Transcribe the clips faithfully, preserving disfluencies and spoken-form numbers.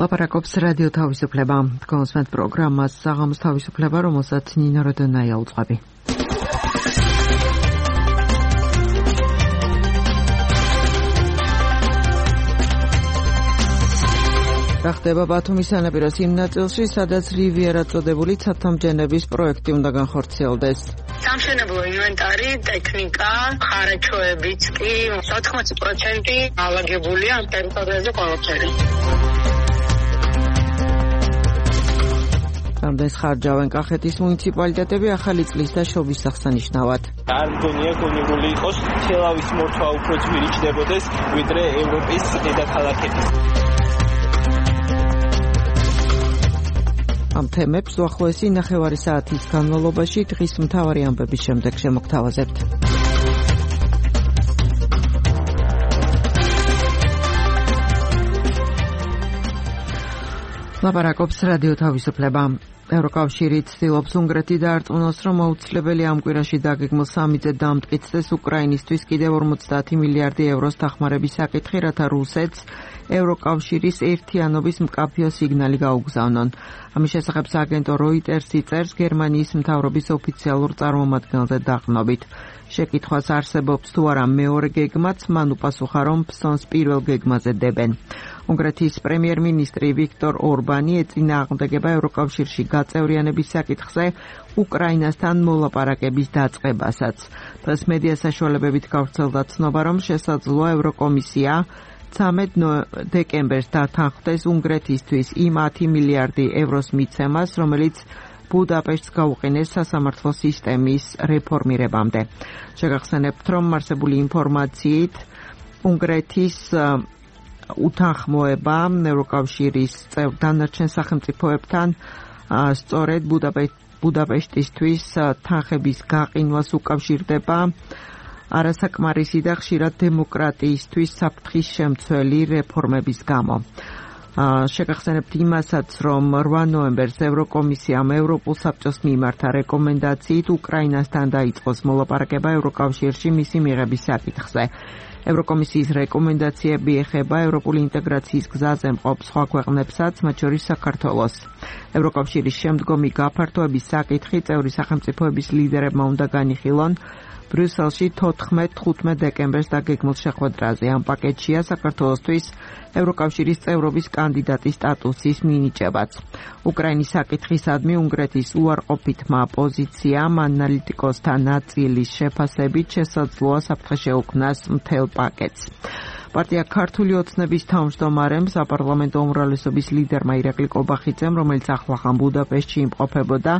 ლაპარაკობს რადიო თავისუფლება. კონსმეთ პროგრამას საღამოს თავისუფლება, რომელსაც ნინო როდონაია უძღვები. რა ხდება ბათუმის სანაპიროს იმ ნაწილში, სადაც რივიერა წოდებული ცათამბჯენების პროექტი უნდა განხორციელდეს. სამშენებლო ინვენტარი, ტექნიკა, ხარაჩოებიც კი ოთხმოცი პროცენტი ალაგებულია ამ ტერიტორიაზე ყველაფერი. რამდენს ხარჯავენ კახეთის მუნიციპალიტეტები ახალი წლის და შობის აღსანიშნავად. არ მგონია გონებული იყოს თელავის მორთვა უფრო ძვირი ჩნდებოდეს ვიდრე ევროპის დედაქალაქების. ამ თემებს უახლოესი ნახევარი საათის განმავლობაში დღის მთავარი ამბების შემდეგ შემოგთავაზებთ. ლაპარაკობს რადიო თავისუფლება. ევროკავშირი ცდილობს უნგრეთი დაარწმუნოს, რომ აუცილებელი ამ კვირაში დაგეგმილ სამიტზე დამტკიცდეს უკრაინისთვის კიდევ ორმოცდაათი მილიარდი ევროს დახმარების საკითხი, რათა რუსეთს ევროკავშირის ერთიანობის მკაფიო სიგნალი გაუგზავნონ. ამის შესახებ სააგენტო როიტერსი წერს გერმანიის მთავრობის ოფიციალურ წარმომადგენელზე დაყრდნობით. შეკითხვას არსებობს თუ არა მეორე გეგმაც, მან უპასუხა, რომ ფსონს პირველ გეგმაზე დებენ. უნგრეთის პრემიერ-მინისტრი ვიქტორ ორბანი ეწინააღმდეგება ევროკავშირში გაწევრიანების საკითხზე უკრაინასთან მოლაპარაკების დაწყებასაც. დღეს მედია საშუალებებით გავრცელდა ცნობა, რომ შესაძლოა ევროკომისია ცამეტ დეკემბერს დათანხმდეს უნგრეთისთვის იმ ათი მილიარდი ევროს მიცემას, რომელიც ბუდაპეშტს გაუყენეს სასამართლო სისტემის რეფორმირებამდე. შეგახსენებთ, რომ არსებული ინფორმაციით უნგრეთის უთანხმოება ევროკავშირის წევრ დანარჩენ სახელმწიფოებთან სწორედ ბუდაპეშტისთვის თანხების გაყინვას უკავშირდება არასაკმარისი და ხშირად დემოკრატიისთვის საფრთხის შემცველი რეფორმების გამო. შეგახსენებთ იმასაც, რომ რვა ნოემბერს ევროკომისიამ ევროპულ საბჭოს მიმართა რეკომენდაციით უკრაინასთან დაიწყოს მოლაპარაკება ევროკავშირში მისი მიღების საკითხზე. ევროკომისიის რეკომენდაციები ეხება ევროპული ინტეგრაციის გზაზე მყოფ სხვა ქვეყნებსაც, მათ შორის საქართველოს. ევროკავშირის შემდგომი გაფართოების საკითხი წევრი სახელმწიფოების ლიდერებმა უნდა განიხილონ ბრიუსელში თოთხმეტ-თხუთმეტ დეკემბერს დაგეგმილ შეხვედრაზე. ამ პაკეტშია საქართველოსთვის ევროკავშირის წევრობის კანდიდატის სტატუსის მინიჭებაც. უკრაინის საკითხისადმი უნგრეთის უარყოფითმა პოზიციამ ანალიტიკოსთა ნაწილის შეფასებით შესაძლოა საფრთხე შეუქმნას მთელ პაკეტს. პარტია ქართული ოცნების თავმჯდომარემ საპარლამენტო უმრავლესობის ლიდერმა ირაკლი კობახიძემ, რომელიც ახლახან ბუდაპეშტში იმყოფებოდა,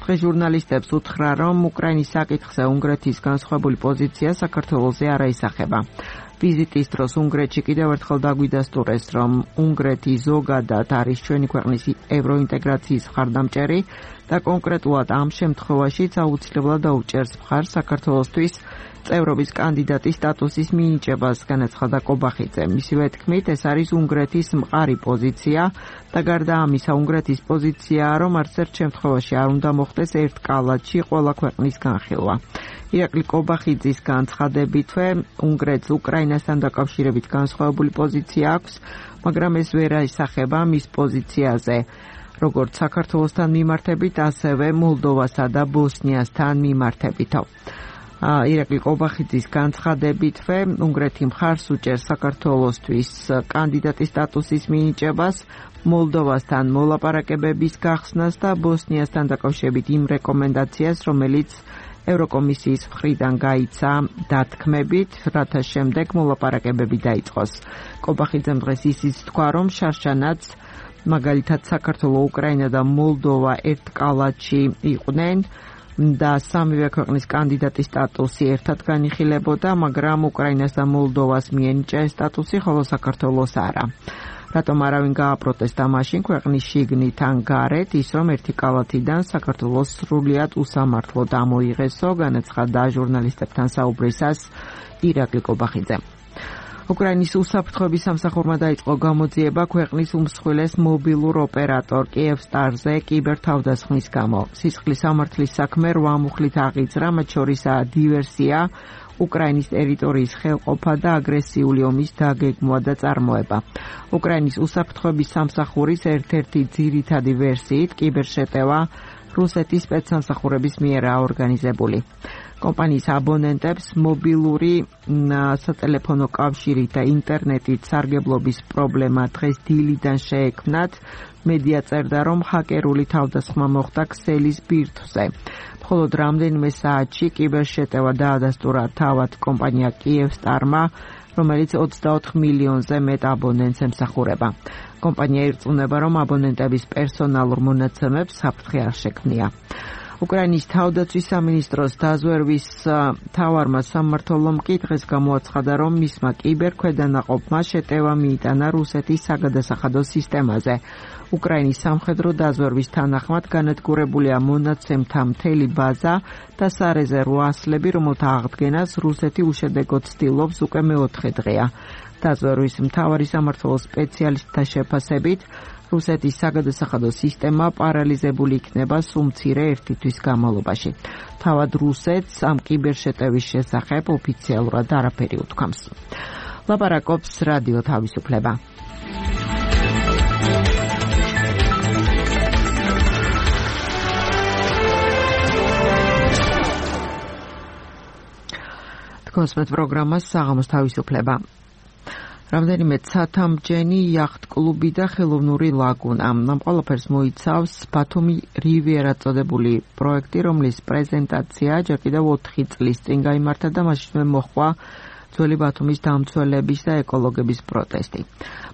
დღეს ჟურნალისტებს უთხრა, რომ უკრაინის საკითხზე უნგრეთის განსხვავებული პოზიცია საქართველოზე არ აისახება. ვიზიტის დროს უნგრეთში კიდევ ერთხელ დაგვიდასტურეს, რომ უნგრეთი ზოგადად არის ჩვენი ქვეყნის ევროინტეგრაციის მხარდამჭერი და კონკრეტულად ამ შემთხვევაშიც აუცილებლად დაუჭერს მხარს საქართველოსთვის წევრობის კანდიდატის სტატუსის მინიჭებას, განაცხადა კობახიძე. მისივე თქმით, ეს არის უნგრეთის მყარი პოზიცია და გარდა ამისა უნგრეთის პოზიციაა, რომ არც ერთ შემთხვევაში არ უნდა მოხდეს ერთ კალათში ყველა ქვეყნის განხილვა. ირაკლი კობახიძის განცხადებითვე უნგრეთს უკრაინასთან დაკავშირებით განსხვავებული პოზიცია აქვს, მაგრამ ეს ვერ აისახება მის პოზიციაზე, როგორც საქართველოსთან მიმართებით, ასევე მოლდოვასა და ბოსნიასთან მიმართებითო. ირაკლი კობახიძის განცხადებითვე უნგრეთი მხარს უჭერს საქართველოსთვის კანდიდატის სტატუსის მინიჭებას, მოლდოვასთან მოლაპარაკებების გახსნას და ბოსნიასთან დაკავშირებით იმ რეკომენდაციას, რომელიც ევროკომისიის მხრიდან გაიცა დათქმებით, რათა შემდეგ მოლაპარაკებები დაიწყოს. კობახიძემ დღეს ისიც თქვა, რომ შარშანაც მაგალითად საქართველო, უკრაინა და მოლდოვა ერთ კალათში იყვნენ და სამივე ქვეყნის კანდიდატის სტატუსი ერთად განიხილებოდა, მაგრამ უკრაინას და მოლდოვას მიენიჭა ეს სტატუსი, ხოლო საქართველოს არა. რატომ არავინ გააპროტესტა მაშინ ქვეყნის შიგნით ან გარეთ, ის რომ ერთი კალათიდან საქართველოს სრულიად უსამართლოდ ამოიღესო, განაცხადა ჟურნალისტებთან საუბრისას ირაკლი კობახიძე. უკრაინის უსაფრთხოების სამსახურმა დაიწყო გამოძიება ქვეყნის უმსხვილეს მობილურ ოპერატორ კიევსტარზე კიბერთავდასხმის გამო. სისხლის სამართლის საქმე რვა მუხლით აღიძრა, მათ შორისაა დივერსია, უკრაინის ტერიტორიის ხელყოფა და აგრესიული ომის დაგეგმვა და წარმოება. უკრაინის უსაფრთხოების სამსახურის ერთ-ერთი ძირითადი ვერსიით კიბერშეტევა რუსეთის სპეცსამსახურების მიერაა ორგანიზებული. კომპანიის აბონენტებს მობილური სატელეფონო კავშირით და ინტერნეტით სარგებლობის პრობლემა დღეს დილიდან შეექმნათ. მედია წერდა, რომ ჰაკერული თავდასხმა მოხდა ქსელის ბირთვზე. მხოლოდ რამდენიმე საათში კიბერშეტევა დაადასტურა თავად კომპანია კიევსტარმა, რომელიც ოცდაოთხ მილიონზე მეტ აბონენტს ემსახურება. კომპანია ირწმუნება, რომ აბონენტების პერსონალურ მონაცემებს საფრთხე არ შექმნია. უკრაინის თავდაცვის სამინისტროს დაზვერვის მთავარმა სამმართველომ კი დღეს გამოაცხადა, რომ მისმა კიბერქვედანაყოფმა შეტევა მიიტანა რუსეთის საგადასახადო სისტემაზე. უკრაინის სამხედრო დაზვერვის თანახმად განადგურებულია მონაცემთა მთელი ბაზა და სარეზერვო ასლები, რომელთა აღდგენას რუსეთი უშედეგოდ ცდილობს უკვე მეოთხე დღეა. დაზვერვის მთავარი სამმართველოს სპეციალისტთა შეფასებით, რუსეთის საგადასახადო სისტემა პარალიზებული იქნება სულ მცირე ერთი თვის განმავლობაში. თავად რუსეთს ამ კიბერშეტევის შესახებ ოფიციალურად არაფერი უთქვამს. ლაპარაკობს რადიო თავისუფლება. კონსმეთ პროგრამას საღამოს თავისუფლება. რამდენიმე ცათამბჯენი იახტ-კლუბი და ხელოვნური ლაგუნა. ამ ყველაფერს მოიცავს ბათუმი რივიერა წოდებული პროექტი, რომლის პრეზენტაცია ჯერ კიდევ ოთხი წლის წინ გაიმართა და მაშინვე მოჰყვა ძველი ბათუმის დამცველების და ეკოლოგების პროტესტი.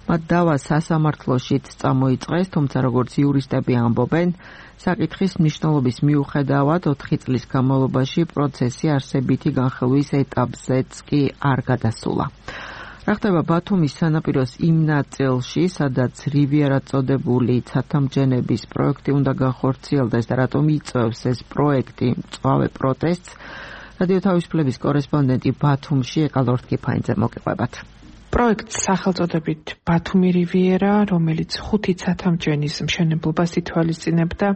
მათ დავა სასამართლოშიც წამოიწყეს, თუმცა როგორც იურისტები ამბობენ, საკითხის მნიშვნელობის მიუხედავად ოთხი წლის განმავლობაში პროცესი არსებითი განხილვის ეტაპზეც კი არ გადასულა. რა ხდება ბათუმის სანაპიროს იმ ნაწილში, სადაც რივიერა წოდებული ცათამბჯენების პროექტი უნდა განხორციელდეს და რატომ იწვევს ეს პროექტი მწვავე პროტესტს? რადიო თავისუფლების კორესპონდენტი ბათუმში ეკალორთ კიფაინძე მოგიყვებათ. პროექტს სახელწოდებით ბათუმი რივიერა, რომელიც ხუთი ცათამბჯენის მშენებლობას ითვალისწინებდა,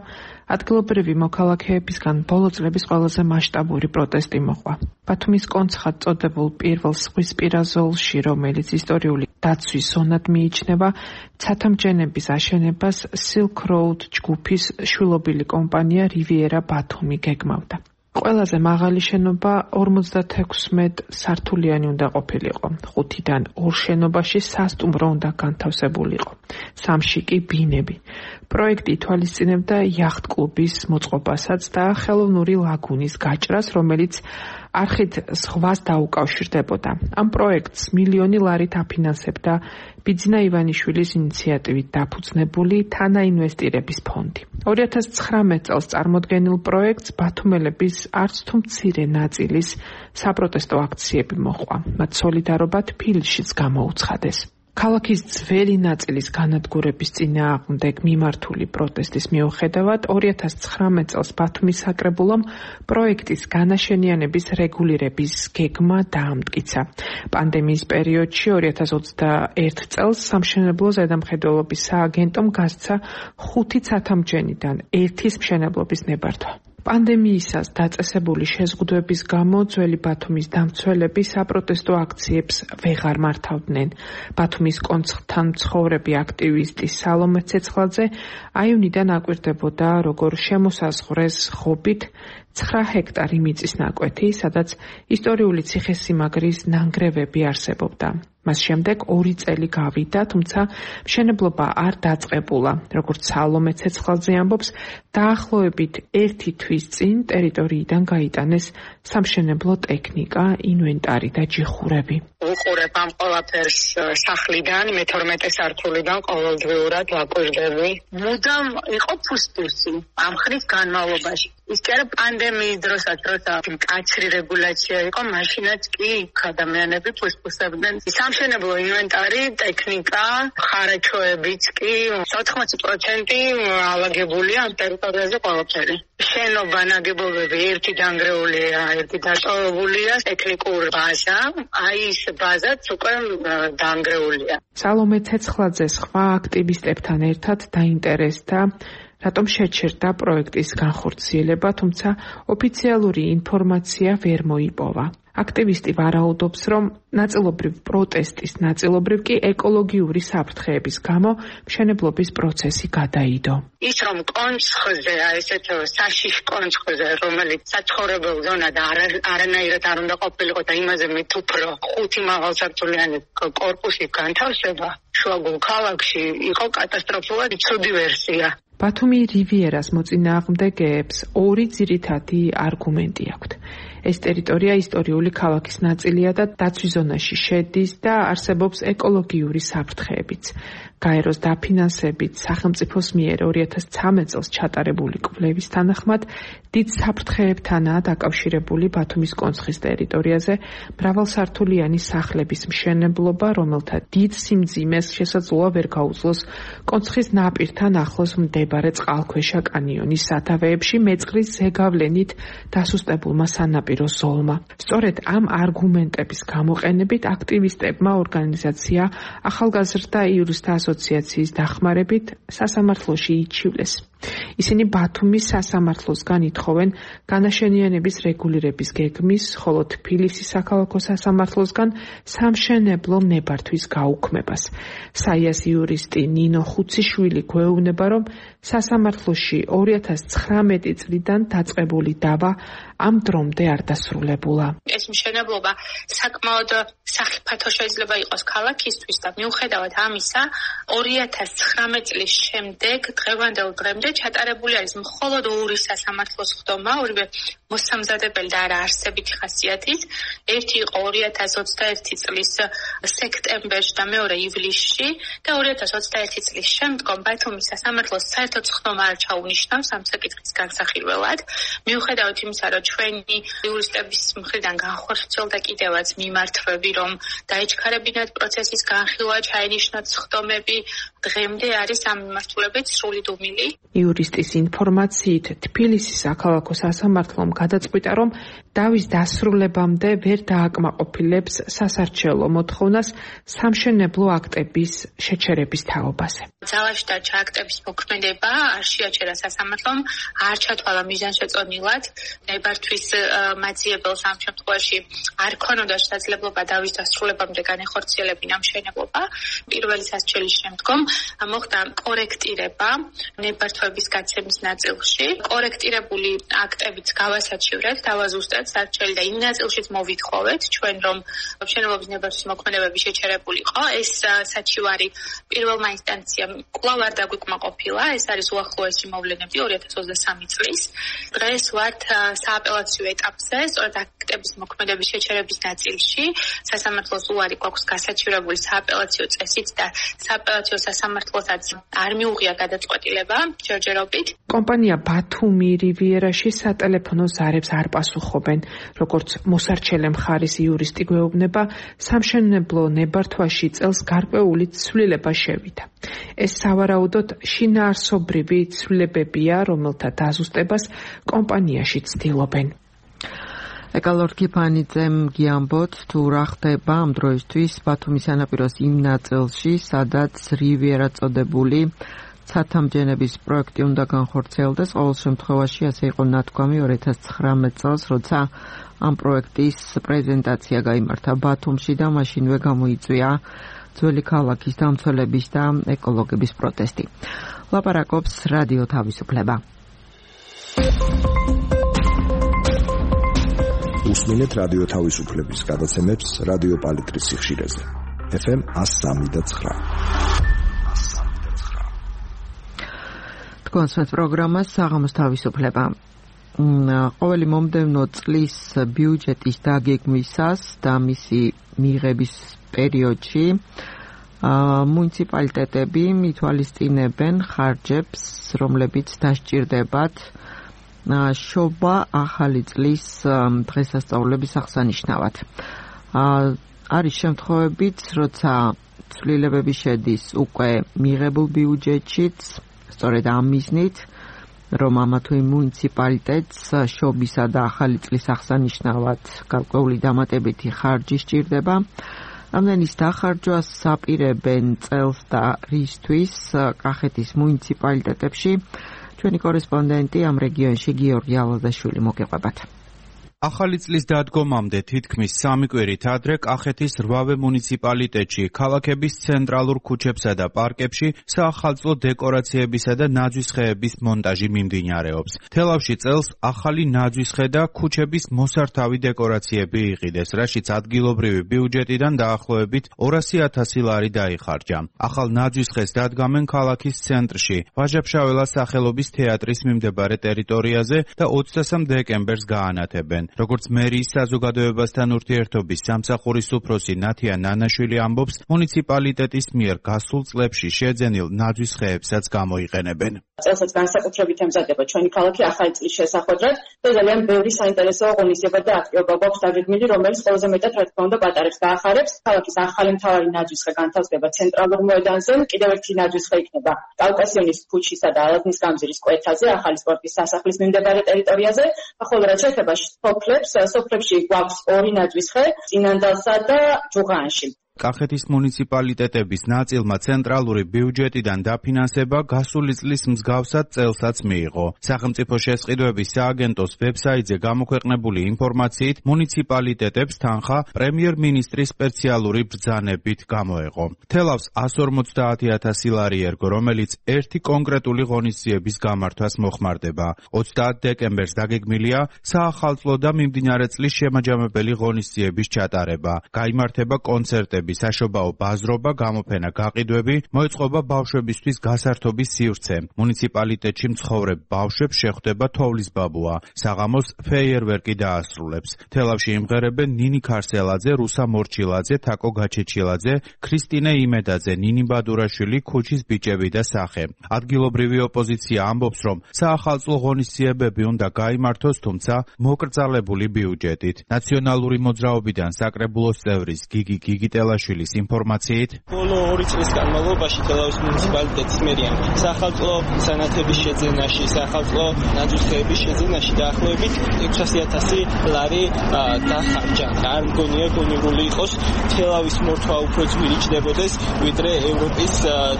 ადგილობრივი მოქალაქეებისგან ბოლო წლების ყველაზე მასშტაბური პროტესტი მოყვა. ბათუმის კონცხად წოდებულ პირველ ზღვისპირა ზოლში, რომელიც ისტორიული დაცვის ზონად მიიჩნევა, ცათამბჯენების აშენებას Silk Road ჯგუფის შვილობილი კომპანია რივიერა ბათუმი გეგმავდა. ყველაზე მაღალი შენობა ორმოცდათექვსმეტ სართულიანი უნდა ყოფილიყო. ხუთიდან ორ შენობაში სასტუმრო უნდა განთავსებულიყო. სამში კი ბინები. პროექტი ითვალისწინებდა იახტ-კლუბის მოწყობასაც და ხელოვნური ლაგუნის გაჭრას, რომელიც არხით ზღვას დაუკავშირდებოდა. ამ პროექტს მილიონი ლარით აფინანსებდა ბიძინა ივანიშვილის ინიციატივით დაფუძნებული თანაინვესტირების ფონდი. ორი ათას ცხრამეტ წელს წარმოდგენილ პროექტს ბათუმელების არც თუ მცირე ნაწილის საპროტესტო აქციები მოჰყვა. მათ სოლიდარობა თბილისშიც გამოუცხადეს. ქალაქის ძველი ნაწილის განადგურების წინააღმდეგ მიმართული პროტესტის მიუხედავად ორი ათას ცხრამეტ წელს ბათუმის საკრებულომ პროექტის განაშენიანების რეგულირების გეგმა დაამტკიცა. პანდემიის პერიოდში ორი ათას ოცდაერთ წელს სამშენებლო ზედამხედველობის სააგენტომ გასცა ხუთი ცათამბჯენიდან ერთის მშენებლობის ნებართვა. პანდემიისას დაწესებული შეზღუდვების გამო ძველი ბათუმის დამცველები საპროტესტო აქციებს ვეღარ მართავდნენ. ბათუმის კონცხთან მცხოვრები აქტივისტი სალომე ცეცხლაძე აივნიდან აკვირდებოდა, როგორ შემოსაზღვრეს ხობით ცხრა ჰექტარი მიწის ნაკვეთი, სადაც ისტორიული ციხესიმაგრის ნანგრევები არსებობდა. მას შემდეგ ორი წელი გავიდა, თუმცა მშენებლობა არ დაწყებულა. როგორც სალომე ცეცხლაძე ამბობს, დაახლოებით ერთი თვის წინ ტერიტორიიდან გაიტანეს სამშენებლო ტექნიკა, ინვენტარი და ჯიხურები. უყურებ ამ ყველაფერს სახლიდან, მეთორმეტე სართულიდან ყოველდღიურად ვაკვირდები. მუდამ იყო ფუსტუსი ამ ხნის განმავლობაში. ის კი არა პანდემიის დროსაც, როცა მკაცრი რეგულაცია იყო, მაშინაც კი ადამიანები ფუსტუსებდნენ. სამშენებლო ინვენტარი, ტექნიკა, ხარაჩოებიც კი ოთხმოცი პროცენტი ალაგებულია ამ ტერიტორიაზე ყველაფერი. შენობა, ნაგებობები ერთი დანგრეულია, ერთი დატოვებულია, ტექნიკური ბაზა, აი ის ბაზაც უკვე დაანგრეულია. სალომე ცეცხლაძე სხვა აქტივისტებთან ერთად დაინტერესდა, რატომ შეჩერდა პროექტის განხორციელება, თუმცა ოფიციალური ინფორმაცია ვერ მოიპოვა. აქტივისტი ვარაუდობს, რომ ნაწილობრივ პროტესტის, ნაწილობრივ კი ეკოლოგიური საფრთხეების გამო მშენებლობის პროცესი გადაიდო. ის რომ კონცხზე, ესეთ საშიშ კონცხზე, რომელიც საცხოვრებელ ზონად არანაირად არ უნდა ყოფილიყო და იმაზე მით უფრო ხუთი მაღალსართულიანი კორპუსი განთავსება შუაგულ ქალაქში იყო კატასტროფულად ცუდი ვერსია. ბათუმი რივიერას მოწინააღმდეგეებს ორი ძირითადი არგუმენტი აქვთ. ეს ტერიტორია ისტორიული ქალაქის ნაწილია და დაცვის ზონაში შედის და არსებობს ეკოლოგიური საფრთხეებიც. გაეროს დაფინანსებით სახელმწიფოს მიერ ორი ათას ცხრამეტ წელს ჩატარებული კვლევის თანახმად დიდ საფრთხეებთანაა დაკავშირებული ბათუმის კონცხის ტერიტორიაზე მრავალსართულიანი სახლების მშენებლობა, რომელთა დიდ სიმძიმეს შესაძლოა ვერ გაუძლოს კონცხის ნაპირთან ახლოს მდებარე წყალქვეშა კანიონის სათავეებში მეწყრის ზეგავლენით დასუსტებულმა სანაპირო ზოლმა. სწორედ ამ არგუმენტების გამოყენებით აქტივისტებმა ორგანიზაცია ახალგაზრდა იურისტთა ასოციაციის დახმარებით სასამართლოში იჩივლეს. ისინი ბათუმის სასამართლოსგან ითხოვენ განაშენიანების რეგულირების გეგმის, ხოლო თბილისის საქალაქო სასამართლოსგან სამშენებლო ნებართვის გაუქმებას. საიას იურისტი ნინო ხუციშვილი გვეუბნება, რომ სასამართლოში ორი ათას ცხრამეტი წლიდან დაწყებული დავა ამ დრომდე არ დასრულებულა. ეს მშენებლობა საკმაოდ სახიფათო შეიძლება იყოს ქალაქისთვის და მიუხედავად ამისა, ორი ათას ცხრამეტ წლის შემდეგ დღევანდელ დღემდე ჩატარებული არის მხოლოდ ორი სასამართლოს ხდომა, ორივე მოსამზადებელი და არა არსებითი ხასიათის. ერთი იყო ორი ათას ოცდაერთი წლის სექტემბერში და მეორე ივლისში და ორი ათას ოცდაერთი წლის შემდგომ ბათუმის სასამართლოს საერთოდ ხდომა არ ჩაუნიშნავს ამ საკითხის განსახილველად. მიუხედავად იმისა, რომ ჩვენი იურისტების მხრიდან განხორციელდა კიდევაც მიმართვები, რომ დაიჩქარებინათ პროცესის განხილვა, ჩაენიშნათ ხდომები, დღემდე არის ამ მიმართულებით სრული დუმილი. იურისტის ინფორმაციით თბილისის საქალაქო სასამართლომ გადაწყვიტა, რომ დავის დასრულებამდე ვერ დააკმაყოფილებს სასარჩელო მოთხოვნას სამშენებლო აქტების შეჩერების თაობაზე. ძალაში დარჩა აქტების მოქმედება, არ შეაჩერა სასამართლომ, არ ჩათვალა მიზანშეწონილად ნებართვის მაძიებელს ამ შემთხვევაში არ ქონოდა შესაძლებლობა დავის დასრულებამდე განეხორციელებინა მშენებლობა. პირველი სასჯელის შემდგომ მოხდა კორექტირება ნებართვების გაცემის ნაწილში. კორექტირებული აქტებიც გავასაჩივრეთ, დავაზუსტეთ სასჯელი და იმ ნაწილშიც მოვითხოვეთ ჩვენ, რომ მშენებლობის ნებართვის მოქმედებები შეჩერებული იყო. ეს საჩივარი პირველმა ინსტანციამ კვლავ არ დაგვიკმაყოფილა. ეს არის უახლოესი მოვლენები ორი ათას ოცდასამი წლის. დღეს ვართ სააპელაციო ეტაპზე, სწორედ აქტების მოქმედების შეჩერების ნაწილში. სასამართლოს უარი გვაქვს გასაჩივრებული სააპელაციო წესით და სააპელაციო სასამართლოსაც არ მიუღია გადაწყვეტილება ჯერჯერობით. კომპანია ბათუმი რივიერაში სატელეფონო ზარებს არ პასუხობენ. როგორც მოსარჩელე მხარის იურისტი გვეუბნება, სამშენებლო ნებართვაში წელს გარკვეული ცვლილება შევიდა. ეს სავარაუდოდ შინაარსობრივი ცვლილებებია, რომელთა დაზუსტებას კომპანიაში ცდილობენ. ეკალორქი ფანიძემ გიამბოთ, თუ რა ხდება ამ დროისთვის ბათუმის სანაპიროს იმ ნაწილში, სადაც რივიერა წოდებული ცათამბჯენების პროექტი უნდა განხორციელდეს. ყოველ შემთხვევაში ასე იყო ნათქვამი ორი ათას ცხრამეტ წელს, როცა ამ პროექტის პრეზენტაცია გაიმართა ბათუმში და მაშინვე გამოიწვია ძველი ქალაქის დამცველების და ეკოლოგების პროტესტი. ლაპარაკობს რადიო თავისუფლება. უსმინეთ რადიო თავისუფლების გადაცემებს რადიო პალიტრის სიხშირეზე. ეფ ემ one oh three point nine. თქვენს პროგრამას საღამოს თავისუფლება. ყოველი მომდევნო წლის ბიუჯეტის დაგეგმვისას და მისი მიღების პერიოდში მუნიციპალიტეტები მითვალისწინებენ ხარჯებს, რომლებიც დასჭირდებათ შობა ახალი წლის დღესასწაულების აღსანიშნავად. არის შემთხვევებიც, როცა ცვლილებები შედის უკვე მიღებულ ბიუჯეტშიც, სწორედ ამ მიზნით, რომ ამა თუ იმ მუნიციპალიტეტს შობისა და ახალი წლის აღსანიშნავად გარკვეული დამატებითი ხარჯი სჭირდება. Ამდენის დახარჯვას აპირებენ წელს და რისთვის კახეთის მუნიციპალიტეტებში. ჩვენი კორესპონდენტი ამ რეგიონში გიორგი ალაზაშვილი მოგეყვებათ. ახალი წლის დადგომამდე თითქმის სამი კვირით ადრე კახეთის რვავე მუნიციპალიტეტში ქალაქების ცენტრალურ ქუჩებსა და პარკებში საახალწლო დეკორაციებისა და ნაძვისხეების მონტაჟი მიმდინარეობს. თელავში წელს ახალი ნაძვისხე და ქუჩების მოსართავი დეკორაციები იყიდეს, რაშიც ადგილობრივი ბიუჯეტიდან დაახლოებით ორასი ათასი ლარი დაიხარჯა. ახალ ნაძვისხეს დადგამენ ქალაქის ცენტრში, ვაჟა-ფშაველას სახელობის თეატრის მიმდებარე ტერიტორიაზე და ოცდასამ დეკემბერს გაანათებენ. როგორც მერიის საზოგადოებასთან ურთიერთობის სამსახურის უფროსი ნათია ნანაშვილი ამბობს, მუნიციპალიტეტის მიერ გასულ წლებში შეძენილ ნაძვისხეებსაც გამოიყენებენ. წელსაც განსაკუთრებით ემზადება ჩვენი ქალაქი ახალი წლის შესახვედრად და ძალიან ბევრი საინტერესო ღონისძიება და აქტივობა გვაქვს დაგეგმილი, რომელიც ყველაზე მეტად რა თქმა უნდა პატარებს და ახარებს. ქალაქის ახალი მთავარი ნაძვისხე განთავსდება ცენტრალურ მოედანზე, კიდევ ერთი ნაძვისხე იქნება კავკასიონის ქუჩისა და ალაზნის გამზირის კვეთაზე, ახალი სპორტის სასახლის მიმდებარე ტერიტორიაზე, ხოლო რაც შეეხება სოფლებს, სოფლებში გვაქვს ორი ნაძვისხე, წინანდალსა და ჯუღანში. კახეთის მუნიციპალიტეტების ნაწილმა ცენტრალური ბიუჯეტიდან დაფინანსება გასული წლის მსგავსად წელსაც მიიღო. სახელმწიფო შესყიდვების სააგენტოს ვებსაიტზე გამოქვეყნებული ინფორმაციით მუნიციპალიტეტებს თანხა პრემიერ-მინისტრის სპეციალური ბრძანებით გამოეღო. თელავს εκατს ორმოცდაათი ათასი ლარი ერგო, რომელიც ერთი კონკრეტული ღონისძიების გამართვას მოხმარდება. ოცდაათ დეკემბერს დაგეგმილია საახალწლო და მიმდინარე წლის შემაჯამებელი ღონისძიების ჩატარება. გაიმართება კონცერტები, საშობაო ბაზრობა, გამოფენა, გაყიდვები, მოეწყობა ბავშვებისთვის გასართობის სივრცე. მუნიციპალიტეტში მცხოვრებ ბავშვებს შეხვდება თოვლის ბაბუა. საღამოს ფეიერვერკი დაასრულებს. თელავში იმღერებენ ნინი ქარსელაძე, რუსა მორჩილაძე, თაკო გაჩეჩილაძე, ქრისტინე იმედაძე, ნინი ბადურაშვილი, ქუჩის ბიჭები და სახე. ადგილობრივი ოპოზიცია ამბობს, რომ საახალწლო ღონისძიებები უნდა გაიმართოს, თუმცა მოკრძალებული ბიუჯეტით. ნაციონალური მოძრაობიდან საკრებულოს წევრის გიგი გიგიტელა შვილის ინფორმაციით, ბოლო ორი წლის განმავლობაში თელავის მუნიციპალიტეტის მერია საახალწლო სანათების შეძენაში, საახალწლო ნაძვისხეების შეძენაში დაახლოებით ექვსასი ათასი ლარი დახარჯა. არ მგონია გონივრული იყოს თელავის მორთვა უფრო ძვირი ჩდებოდეს ვიდრე ევროპის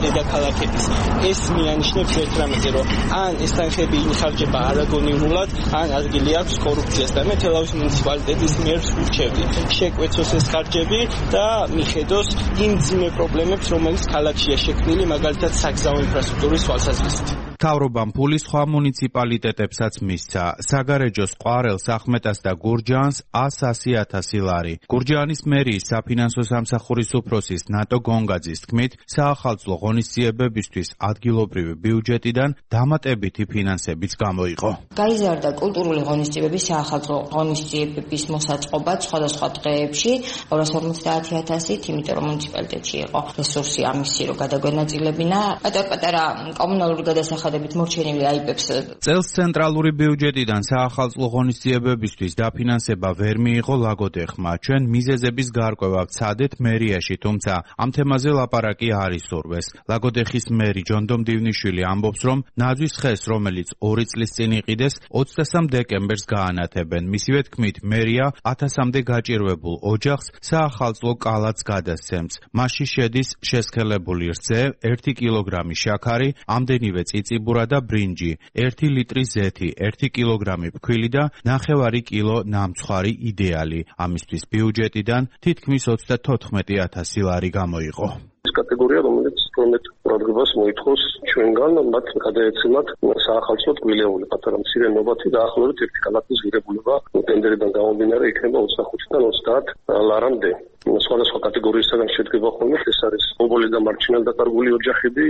დედაქალაქების. ეს მიანიშნებს ერთ რამეზე, რომ ან ეს თანხები ინხარჯება არაგონივრულად, ან ადგილი აქვს კორუფციას და მე თელავის მუნიციპალიტეტის მიერ ვურჩევდი შეკვეცოს ეს ხარჯები და მიხედოს იმ ძიმე პრობლემებს, რომელიც ქალაქშია შექმნილი, მაგალითად საგზაო ინფრასტრუქტურის თვალსაზრისით. მთავრობამ ფული სხვა მუნიციპალიტეტებსაც მისცა. საგარეჯოს ყვარელს, ახმეტას და გურჯაანს ასი ათასი ლარი. გურჯაანის მერიის საფინანსო სამსახურის უფროსის ნატო გონგაძის თქმით, საახალწლო ღონისძიებებისთვის ადგილობრივი ბიუჯეტიდან დამატებითი ფინანსებიც გამოიყო. გაიზარდა კულტურული ღონისძიებების საახალწლო ღონისძიებების მოსაწყობად სხვადასხვა დღეებში ორასი ორმოცდაათი ათასით, იმიტომ რომ მუნიციპალიტეტში იყო რესურსი ამისი, რომ გადაგვენაწილებინა პატარ-პატარა კომუნალური გადასახადებით მორჩენილი აიპებს. წელს ცენტრალური ბიუჯეტიდან საახალწლო ღონისძიებებისთვის დაფინანსება ვერ მიიღო ლაგოდეხმა. ჩვენ მიზეზების გარკვევა ვცადეთ მერიაში, თუმცა ამ თემაზე ლაპარაკი არ ისურვეს. ლაგოდეხის მერი ჯონდომ დივნიშვილი ამბობს, რომ ნაძვისხეს, რომელიც ორი წლის წინ იყიდეს, ოცდასამ დეკემბერს გაანათებენ. მისივე თქმით, მერია ათასამდე გაჭირვებულ ოჯახს საახალწლო კალაც გადასცემს. მასში შედის შესქელებული რძე, ერთი კილოგრამი შაქარი, ამდენივე წიწიბურა და ბრინჯი, ერთი ლიტრი ზეთი, ერთი კილოგრამი ფქვილი და ნახევარი კილო ნამცხვარი იდეალი. ამისთვის ბიუჯეტიდან თითქმის ოცდათოთხმეტი ათასი ლარი გამოიყო. კატეგორია, რომელიც პრომეთ პროგრამას მოითხოვს ჩვენგან, მათ გადაეცემათ საახალწლო ტკბილეული პატარა მცირე ნობათი დაახლოებით ერთი კალათის ღირებულება ტენდერიდან გამომდინარე იქნება ოცდახუთიდან ოცდაათ ლარამდე. სხვადასხვა კატეგორიისგან შედგება ხოლმე, ეს არის ობოლი და მარჩინალ დაკარგული ოჯახები,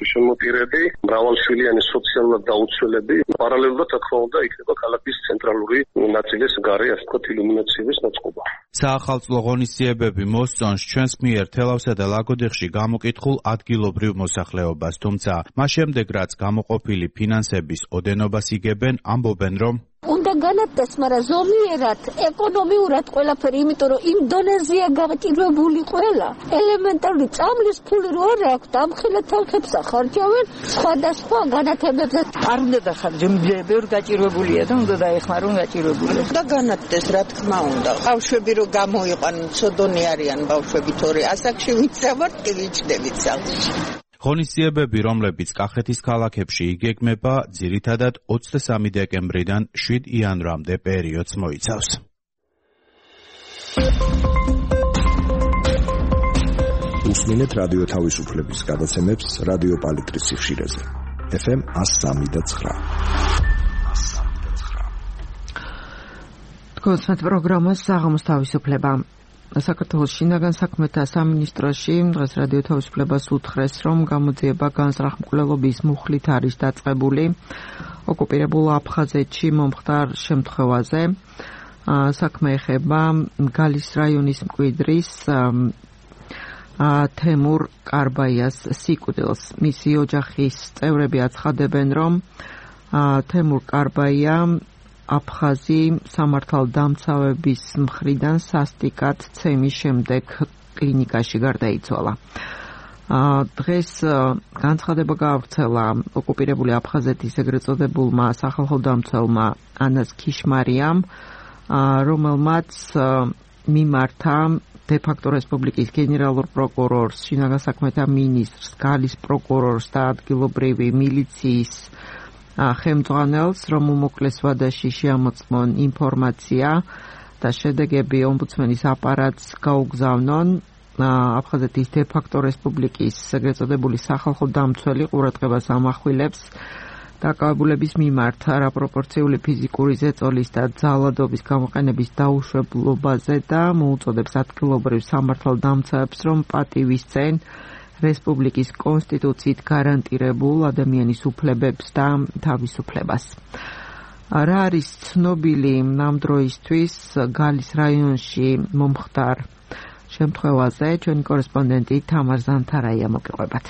შემოპირები, მრავალშვილიანი სოციალურად დაუცველები. პარალელურად, რა თქმა უნდა, იქნება ქალაქის ცენტრალური ნაწილის გარე, ასე ვთქვათ, ილუმინაციების მოწყობა. საახალწლო ღონისძიებები მოსწონს ჩვენს მიერ თელავსა და ლაგოდეხში გამოკითხულ ადგილობრივ მოსახლეობას, თუმცა მას შემდეგ რაც გამოყოფილი ფინანსების ოდენობას იგებენ, ამბობენ, რომ უნდა უნდა განათდეს, მაგრამ ზომიერად, ეკონომიურად ყველაფერი, იმიტომ რომ იმ დონეზეა გაკეთებული ყველა. ელემენტარული წამლის ფული რო არ აქვს, დამხილეთ თანხებს ახარჯავენ სხვადასხვა განათებებზე. არ უნდა დახარჯო, ბევრი გაჭირვებულია და უნდა დაეხმარონ გაჭირვებული. და განათდეს, რა თქმა უნდა. ბავშვები რო გამოიყვანონ, ცოდონი არიან ბავშვები, თორე ასაკში ვიცავართ, კი ვიჩნდებით სახლში. ღონისძიებები, რომლებიც კახეთის ქალაქებში იგეგმება, ძირითადად ოცდამესამე დეკემბრიდან შვიდ იანვრამდე პერიოდს მოიცავს. უსმინეთ რადიო თავისუფლების გადაცემებს რადიო პალიტრის სიხშირეზე. ეფ ემ one oh three და nine. თქვენს პროგრამას საღამოს თავისუფლება. საქართველოს შინაგან საქმეთა სამინისტროში დღეს რადიო თავისუფლებას უთხრეს, რომ გამოძიება განზრახმკვლელობის მუხლით არის დაწყებული ოკუპირებულ აფხაზეთში მომხდარ შემთხვევაზე. საქმე ეხება გალის რაიონის მკვიდრის თემურ კარბაიას სიკვდილს. მისი ოჯახის წევრები აცხადებენ, რომ თემურ კარბაია აფხაზი სამართალდამცავების მხრიდან სასტიკად ცემის შემდეგ კლინიკაში გარდაიცვალა. დღეს განცხადება გაავრცელა ოკუპირებული აფხაზეთის ეგრეთ წოდებულმა სახალხო დამცველმა ანას ქიშმარიამ, რომელმაც მიმართა დე-ფაქტო რესპუბლიკის გენერალურ პროკურორს, შინაგან საქმეთა მინისტრს, გალის პროკურორს და ადგილობრივი მილიციის ხელმძღვანელს, რომ უმოკლეს ვადაში შეამოწმონ ინფორმაცია და შედეგები ომბუდსმენის აპარატს გაუგზავნონ. აფხაზეთის დე-ფაქტო რესპუბლიკის ეგრეთ წოდებული სახალხო დამცველი ყურადღებას ამახვილებს დაკავებულების მიმართ არაპროპორციული ფიზიკური ზეწოლის და ძალადობის გამოყენების დაუშვებლობაზე და მოუწოდებს ადგილობრივ სამართალდამცავებს, რომ პატივისცენ რესპუბლიკის კონსტიტუციით გარანტირებულ ადამიანის უფლებებს და თავისუფლებას. რა არის ცნობილი ამ დროისთვის გალის რაიონში მომხდარ შემთხვევაზე? ჩვენი კორესპონდენტი თამარ ზანთარაია მოგიყვებათ.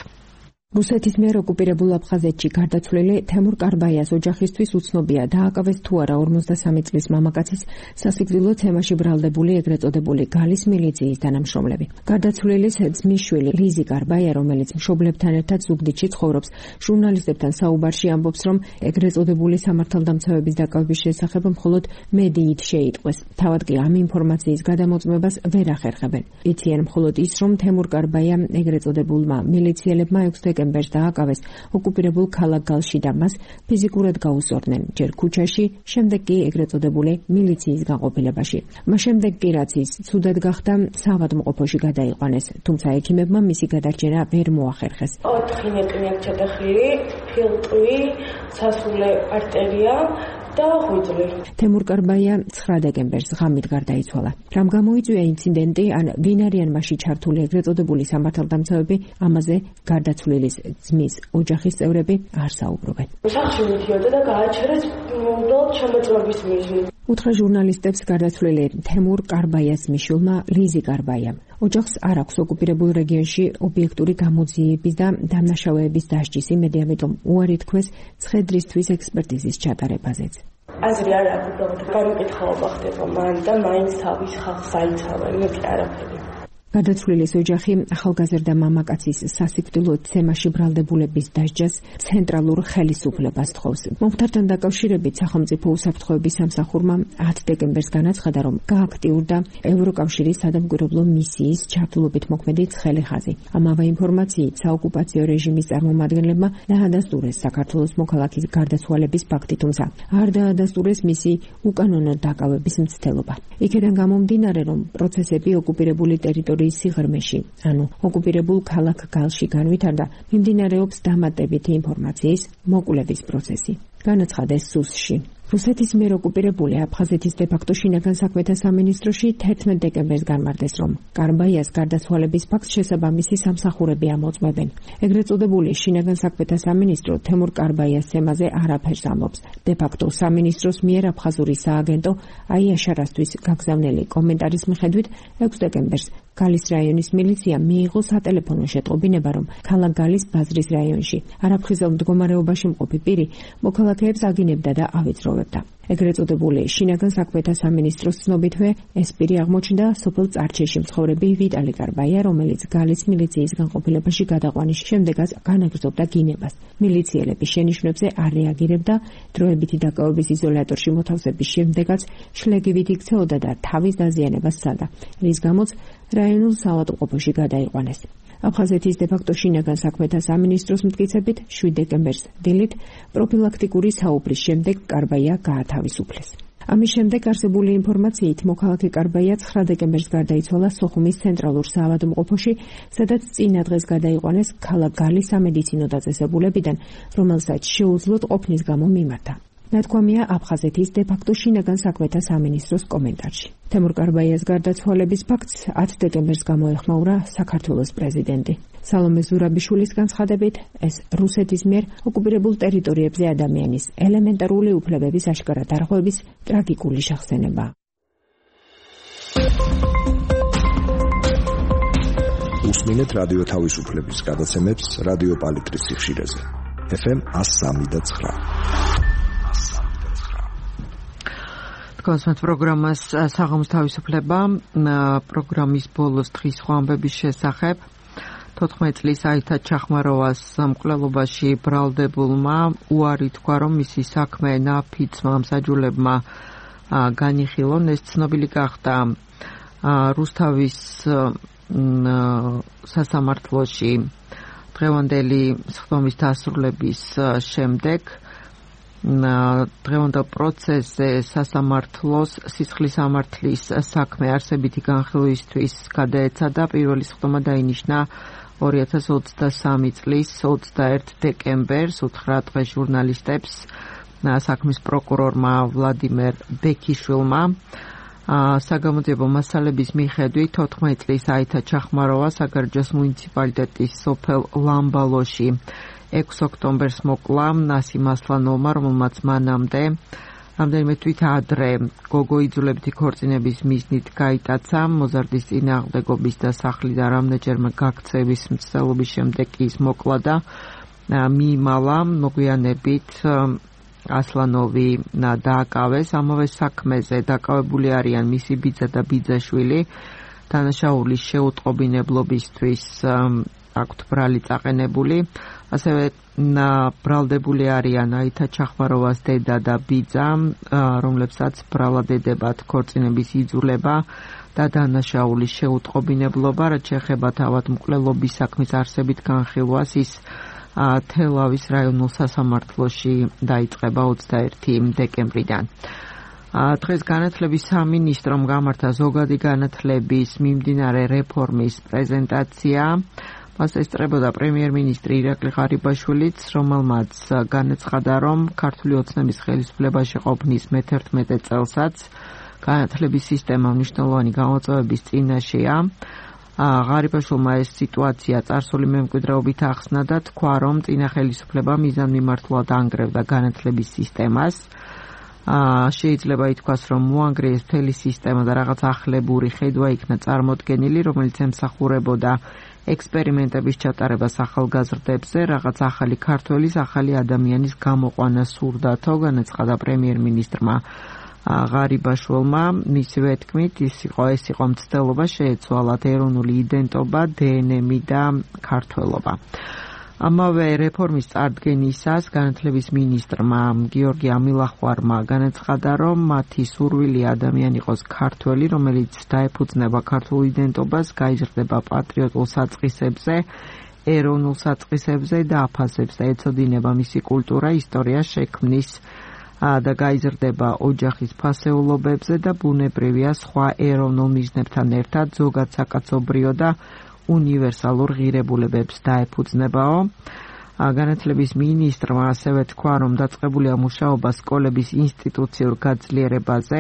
რუსეთის მიერ ოკუპირებულ აფხაზეთში გარდაცვლილი თემურ კარბაიას ოჯახისთვის უცნობია, დააკავეს თუ არა ორმოცდასამი წლის მამაკაცის სასიკვდილო თემაში ბრალდებული ეგრეთ წოდებული გალის მილიციის თანამშრომლები. გარდაცვლილის ძმისშვილი ლიზი კარბაია, რომელიც მშობლებთან ერთად ზუგდიდში ცხოვრობს, ჟურნალისტებთან საუბარში ამბობს, რომ ეგრეთ წოდებული სამართალდამცავების დაკავების შესახებ მხოლოდ მედიით შეიტყვეს. თავად კი ამ ინფორმაციის გადამოწმებას ვერ ახერხებენ. იციან მხოლოდ ის, რომ თემურ კარბაია ეგრეთ წოდებულმა მილიციელებმა ექვსი დეკემბერს დააკავეს ოკუპირებულ ქალაქ გალში და მას ფიზიკურად გაუსწორდნენ, ჯერ ქუჩაში, შემდეგ კი ეგრეთ წოდებული მილიციის განყოფილებაში. მას შემდეგ კი რაც ის ცუდად გახდა, საავადმყოფოში გადაიყვანეს, თუმცა ექიმებმა მისი გადარჩენა ვერ მოახერხეს. ოთხი ნეტრი აქვს ჩატეხილი, ფილტვი, სასულე არტერია და ღვიძლი. თემურ კარბაია ცხრა დეკემბერს ღამით გარდაიცვალა. რამ გამოიწვია ინციდენტი, ან ვინ არიან მასში ჩართული ეგრეთ წოდებული სამართალდამცავები, ამაზე გარდაცვლილის ძმის ოჯახის წევრები არ საუბრობენ. სახლში მიდიოდა და გააჩერეს უბრალოდ შემოწმების მიზნით. უთხრა ჟურნალისტებს გარდაცვლილი თემურ კარბაიას მიშვილმა ლიზი კარბაიამ. ოჯახს არ აქვს ოკუპირებულ რეგიონში ობიექტური გამოძიების და დამნაშავეების დასჯის იმედი, ამიტომ უარი თქვეს ცხედრისთვის ექსპერტიზის ჩატარებაზეც. აზრი არ აქვს, უბრალოდ განკითხაობა ხდება მან და მაინც თავის ხალხს აიცავენ, მე კი არაფერი. გადაცვლილის ოჯახი ახალგაზრდა მამაკაცის სასიკვდილო თემაში ბრალდებულების დასჯას ცენტრალურ ხელისუფლებას თხოვს. მომხდართან დაკავშირებით სახელმწიფო უსაფრთხოების სამსახურმა ათი დეკემბერს განაცხადა, რომ გააქტიურდა ევროკავშირის სადამკვირვებლო მისიის ჩართულობით მოქმედი ცხელი ხაზი. ამავე ინფორმაციით საოკუპაციო რეჟიმის წარმომადგენლებმა დაადასტურეს საქართველოს მოქალაქის გარდაცვალების ფაქტი, თუმცა არ დაადასტურეს მისი უკანონო დაკავების მცდელობა. იქედან გამომდინარე, რომ პროცესები ოკუპირებული ტერიტორიის სიღრმეში, ანუ ოკუპირებულ ქალაქ გალში განვითარდა, მიმდინარეობს დამატებითი ინფორმაციის მოკვლევის პროცესი. განაცხადეს სუსში. რუსეთის მიერ ოკუპირებული აფხაზეთის დე-ფაქტო შინაგან საქმეთა სამინისტროში თერთმეტ დეკემბერს განმარტეს, რომ კარბაიას გარდაცვალების ფაქტს შესაბამისი სამსახურები ამოწმებენ. ეგრეთ წოდებული შინაგან საქმეთა სამინისტრო თემურ კარბაიას თემაზე არაფერს ამბობს. დე-ფაქტო სამინისტროს მიერ აფხაზური სააგენტო აიაშარასთვის გაგზავნილი კომენტარის მიხედვით ექვსი დეკემბერს გალის რაიონის მილიცია მიიღო სატელეფონო შეტყობინება, რომ ქალაქ გალის ბაზრის რაიონში არაფხიზელ მდგომარეობაში მყოფი პირი მოქალაქეებს აგინებდა და ავიწროვებდა. ეგრეთ წოდებული შინაგან საქმეთა სამინისტროს ცნობითვე ეს პირი აღმოჩნდა სოფელ წარჩეში მცხოვრები ვიტალი კარბაია, რომელიც გალის მილიციის განყოფილებაში გადაყვანის შემდეგაც განაგრძობდა გინებას. მილიციელები შენიშვნებზე არ რეაგირებდა, დროებითი დაკავების იზოლატორში მოთავსების შემდეგაც შლეგივით იქცეოდა და თავის დაზიანებას სცადა, რის გამოც რაიონულ საავადმყოფოში გადაიყვანეს. აფხაზეთის დე-ფაქტო შინაგან საქმეთა სამინისტროს მტკიცებით შვიდ დეკემბერს დილით პროფილაქტიკური საუბრის შემდეგ კარბაია გაათავისუფლეს. ამის შემდეგ არსებული ინფორმაციით მოქალაქე კარბაია ცხრა დეკემბერს გარდაიცვალა სოხუმის ცენტრალურ საავადმყოფოში, სადაც წინა დღეს გადაიყვანეს ქალაქ გალის სამედიცინო დაწესებულებიდან, რომელსაც შეუძლოდ ყოფნის გამო მიმართა. ნათქვამია აფხაზეთის დე-ფაქტო შინაგან საქმეთა სამინისტროს კომენტარში. თემურ კარბაიას გარდაცვალების ფაქტს ათი დეკემბერს გამოეხმაურა საქართველოს პრეზიდენტი. სალომე ზურაბიშვილის განცხადებით, ეს რუსეთის მიერ ოკუპირებულ ტერიტორიებზე ადამიანის ელემენტარული უფლებების აშკარა დარღვევის ტრაგიკული შახსენებაა. უსმინეთ რადიო თავისუფლების გადაცემებს რადიო პალიტრის სიხშირეზე. ეფ ემ one oh three point nine. კონსმეთ პროგრამას საღამოს თავისუფლება პროგრამის ბოლოს დღის სხვა ამბების შესახებ. თოთხმეტი წლის აითა ჩახმაროვას მკვლელობაში ბრალდებულმა უარი თქვა, რომ მისი საქმე ნაფიცმა მსაჯულებმა განიხილონ. ეს ცნობილი გახდა რუსთავის სასამართლოში დღევანდელი სხდომის დასრულების შემდეგ. დღევანდელ პროცესზე სასამართლოს სისხლის სამართლის საქმე არსებითი განხილვისთვის გადაეცადა. პირველი სხდომა დაინიშნა ორი ათას ოცდასამი წლის ოცდაერთი დეკემბერს. უთხრა დღეს ჟურნალისტებს საქმის პროკურორმა ვლადიმერ ბექიშვილმა. საგამოძიებო მასალების მიხედვით თოთხმეტი წლის აითა ჩახმაროვა საგარეჯოს მუნიციპალიტეტის სოფელ ლამბალოში ექვსი ოქტომბერს მოკლა ნასიმ ასლანოვმა, რომელმაც მანამდე რამდენიმე თვით ადრე გოგო იძულებითი ქორწინების მიზნით გაიტაცა. მოზარდის წინააღმდეგობის და სახლიდან რამდენჯერმე გაქცევის მცდელობის შემდეგ კი ის მოკლა და მიიმალა. მოგვიანებით ასლანოვი დააკავეს. ამავე საქმეზე დაკავებული არიან მისი ბიძა და ბიძაშვილი. დანაშაულის შეუტყობინებლობისთვის აქვთ ბრალი წაყენებული. ასევე ბრალდებული არიან აითა ჩახმაროვას დედა და ბიძა, რომლებსაც ბრალად ედებათ ქორწინების იძულება და დანაშაულის შეუტყობინებლობა. რაც შეეხება თავადმკვლელობის საქმის არსებით განხილვას, ის თელავის რაიონულ სასამართლოში დაიწყება ოცდაერთი დეკემბრიდან. დღეს განათლების სამინისტრომ გამართა ზოგადი განათლების მიმდინარე რეფორმის პრეზენტაცია. მას ესწრებოდა პრემიერ-მინისტრი ირაკლი ღარიბაშვილიც, რომელმაც განაცხადა, რომ ქართული ოცნების ხელისუფლებაში ყოფნის მეთერთმეტე წელსაც განათლების სისტემა მნიშვნელოვანი გამოწვევების წინაშეა. ღარიბაშვილმა ეს სიტუაცია წარსული მემკვიდრეობით ახსნა და თქვა, რომ წინა ხელისუფლება მიზანმიმართულად ანგრევდა განათლების სისტემას. შეიძლება ითქვას, რომ მოანგრიეს მთელი სისტემა და რაღაც ახლებური ხედვა იქნა წარმოდგენილი, რომელიც ემსახურებოდა ექსპერიმენტების ჩატარებას ახალგაზრდებზე, რაღაც ახალი ქართველის, ახალი ადამიანის გამოყვანა სურდათო, განაცხადა პრემიერ-მინისტრმა ღარიბაშვილმა. მისივე თქმით, ის იყო ეს იყო მცდელობა შეეცვალათ ეროვნული იდენტობა, დე ენ ემი და ქართველობა. ამავე რეფორმის წარდგენისას განათლების მინისტრმა გიორგი ამილახვარმა განაცხადა, რომ მათი სურვილია ადამიანი იყოს ქართველი, რომელიც დაეფუძნება ქართულ იდენტობას, გაიზრდება პატრიოტულ საწყისებზე, ეროვნულ საწყისებზე და აფასებს და ეცოდინება მისი კულტურა, ისტორია, შექმნის და გაიზრდება ოჯახის ფასეულობებზე და ბუნებრივია სხვა ეროვნულ მიზნებთან ერთად ზოგად საკაცობრიო და უნივერსალურ ღირებულებებს დაეფუძნებაო. განათლების მინისტრმა ასევე თქვა, რომ დაწყებულია მუშაობა სკოლების ინსტიტუციურ გაძლიერებაზე.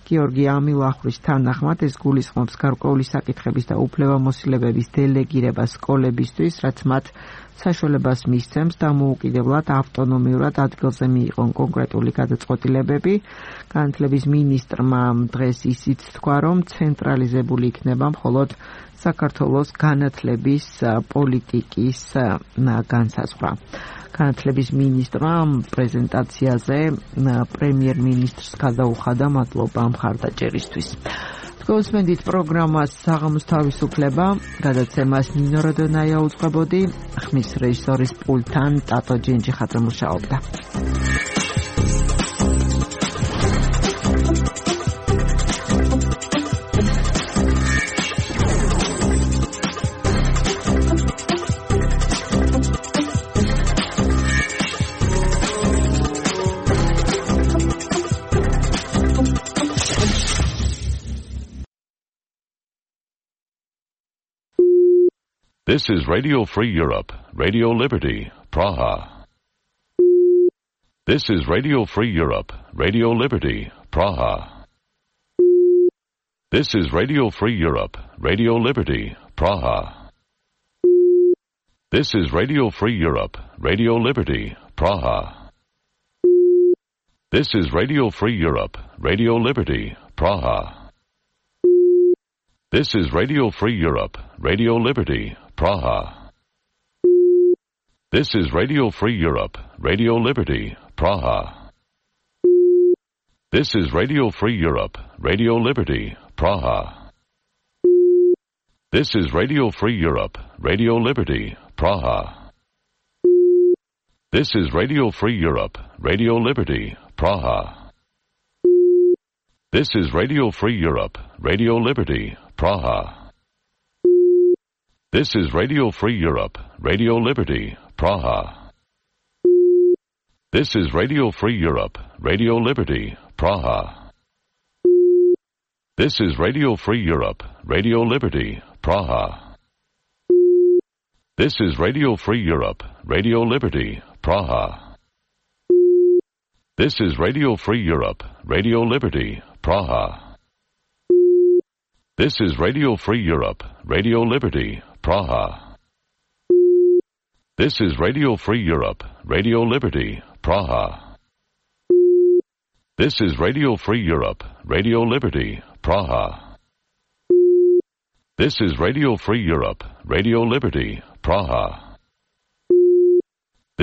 გიორგი ამილახვრის თანახმად ეს გულისხმობს გარკვეული საკითხების და უფლებამოსილებების დელეგირება სკოლებისთვის, რაც მათ საშუალებას მისცემს დამოუკიდებლად ავტონომიურად ადგილზე მიიღონ კონკრეტული გადაწყვეტილებები. განათლების მინისტრმა დღეს ისიც თქვა, რომ ცენტრალიზებული იქნება მხოლოდ საქართველოს განათლების პოლიტიკის განსაზღვრა. განათლების მინისტრმა პრეზენტაციაზე პრემიერ-მინისტრს გადაუხადა მადლობა მხარდაჭერისთვის. გოსმენდით პროგრამას საღამოს თავისუფლება, გადაცემას ნინო როდონაია უძღვებოდი, ხმის რეჟისორის პულტთან ტატო ჯენჯიხაძე მუშაობდა. This is Radio Free Europe, Radio Liberty, Praha. This is Radio Free Europe, Radio Liberty, Praha. This is Radio Free Europe, Radio Liberty, Praha. This is Radio Free Europe, Radio Liberty, Praha. This is Radio Free Europe, Radio Liberty, Praha. This is Radio Free Europe, Radio Liberty, Praha. This is Radio Free Europe, Radio Liberty, Praha. This is Radio Free Europe, Radio Liberty, Praha. This is Radio Free Europe, Radio Liberty, Praha. This is Radio Free Europe, Radio Liberty, Praha. This is Radio Free Europe, Radio Liberty, Praha. This is Radio Free Europe, Radio Liberty, Praha. This is Radio Free Europe, Radio Liberty, Praha. This is Radio Free Europe, Radio Liberty, Praha. This is Radio Free Europe, Radio Liberty, Praha. This is Radio Free Europe, Radio Liberty, Praha. This is Radio Free Europe, Radio Liberty, Praha. This is Radio Free Europe, Radio Liberty, Praha. This is Radio Free Europe, Radio Liberty, Praha. This is Radio Free Europe, Radio Liberty, Praha.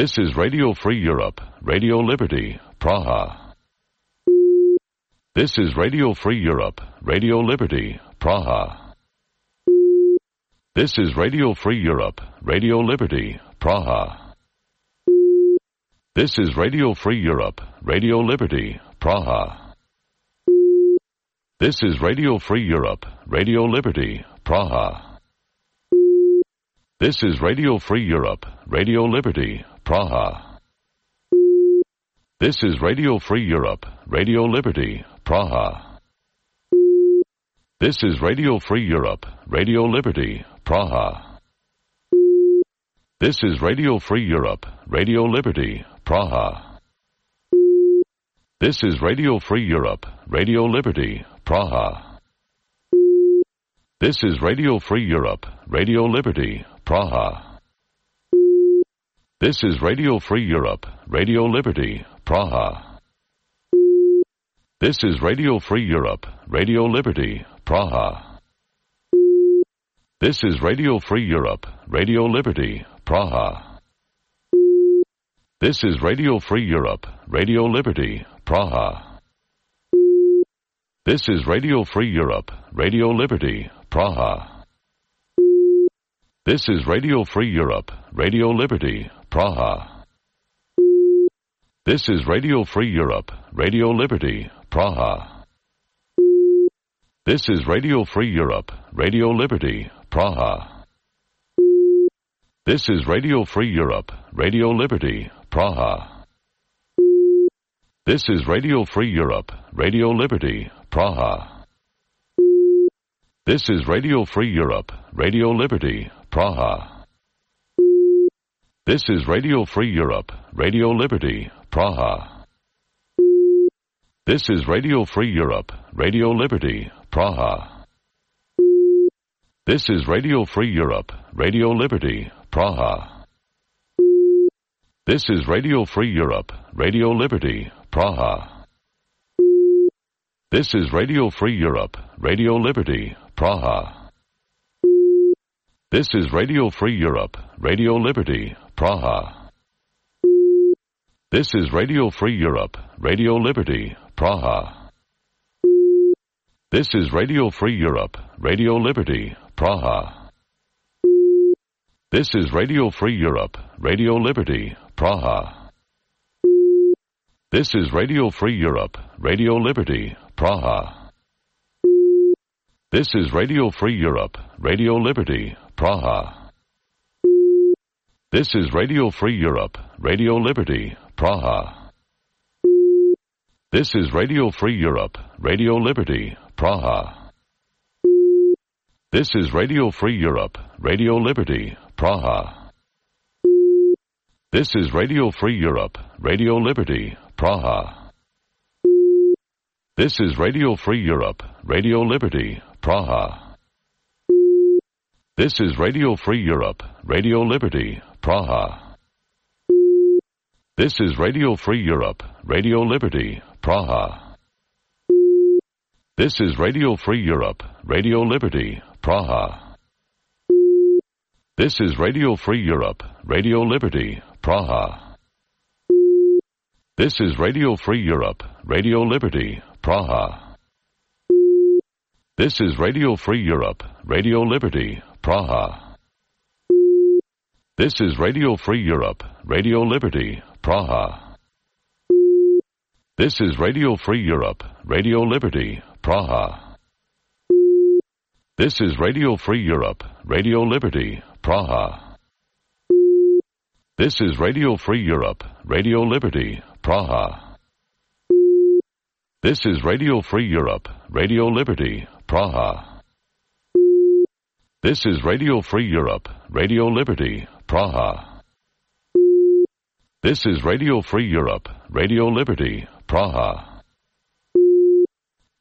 This is Radio Free Europe, Radio Liberty, Praha. This is Radio Free Europe, Radio Liberty, Praha. This is Radio Free Europe, Radio Liberty, Praha. This is Radio Free Europe, Radio Liberty, Praha. This is Radio Free Europe, Radio Liberty, Praha. This is Radio Free Europe, Radio Liberty, Praha. This is Radio Free Europe, Radio Liberty, Praha. This is Radio Free Europe, Radio Liberty, Praha. This is Radio Free Europe, Radio Liberty, Praha. This is Radio Free Europe, Radio Liberty, Praha. This is Radio Free Europe, Radio Liberty, Praha. This is Radio Free Europe, Radio Liberty, Praha. This is Radio Free Europe, Radio Liberty, Praha. This is Radio Free Europe, Radio Liberty, Praha. This is Radio Free Europe, Radio Liberty, Praha. This is Radio Free Europe, Radio Liberty, Praha. This is Radio Free Europe, Radio Liberty, Praha. This is Radio Free Europe, Radio Liberty, Praha. This is Radio Free Europe, Radio Liberty, Praha. This is Radio Free Europe, Radio Liberty, Praha. This is Radio Free Europe, Radio Liberty, Praha. This is Radio Free Europe, Radio Liberty, Praha. This is Radio Free Europe, Radio Liberty, Praha. This is Radio Free Europe, Radio Liberty, Praha. This is Radio Free Europe, Radio Liberty, Praha. This is Radio Free Europe, Radio Liberty, Praha. This is Radio Free Europe, Radio Liberty, Praha. This is Radio Free Europe, Radio Liberty, Praha. This is Radio Free Europe, Radio Liberty, Praha. This is Radio Free Europe, Radio Liberty, Praha. This is Radio Free Europe, Radio Liberty, Praha. This is Radio Free Europe, Radio Liberty, Praha. This is Radio Free Europe, Radio Liberty, Praha. This is Radio Free Europe, Radio Liberty, Praha. This is Radio Free Europe, Radio Liberty, Praha. This is Radio Free Europe, Radio Liberty, Praha. This is Radio Free Europe, Radio Liberty, Praha. This is Radio Free Europe, Radio Liberty, Praha. This is Radio Free Europe, Radio Liberty, Praha. This is Radio Free Europe, Radio Liberty, Praha. This is Radio Free Europe, Radio Liberty, Praha. This is Radio Free Europe, Radio Liberty, Praha. This is Radio Free Europe, Radio Liberty, Praha. This is Radio Free Europe, Radio Liberty, Praha. This is Radio Free Europe, Radio Liberty, Praha. This is Radio Free Europe, Radio Liberty, Praha. This is Radio Free Europe, Radio Liberty, Praha. This is Radio Free Europe, Radio Liberty, Praha. This is Radio Free Europe, Radio Liberty, Praha. This is Radio Free Europe, Radio Liberty, Praha. This is Radio Free Europe, Radio Liberty, Praha.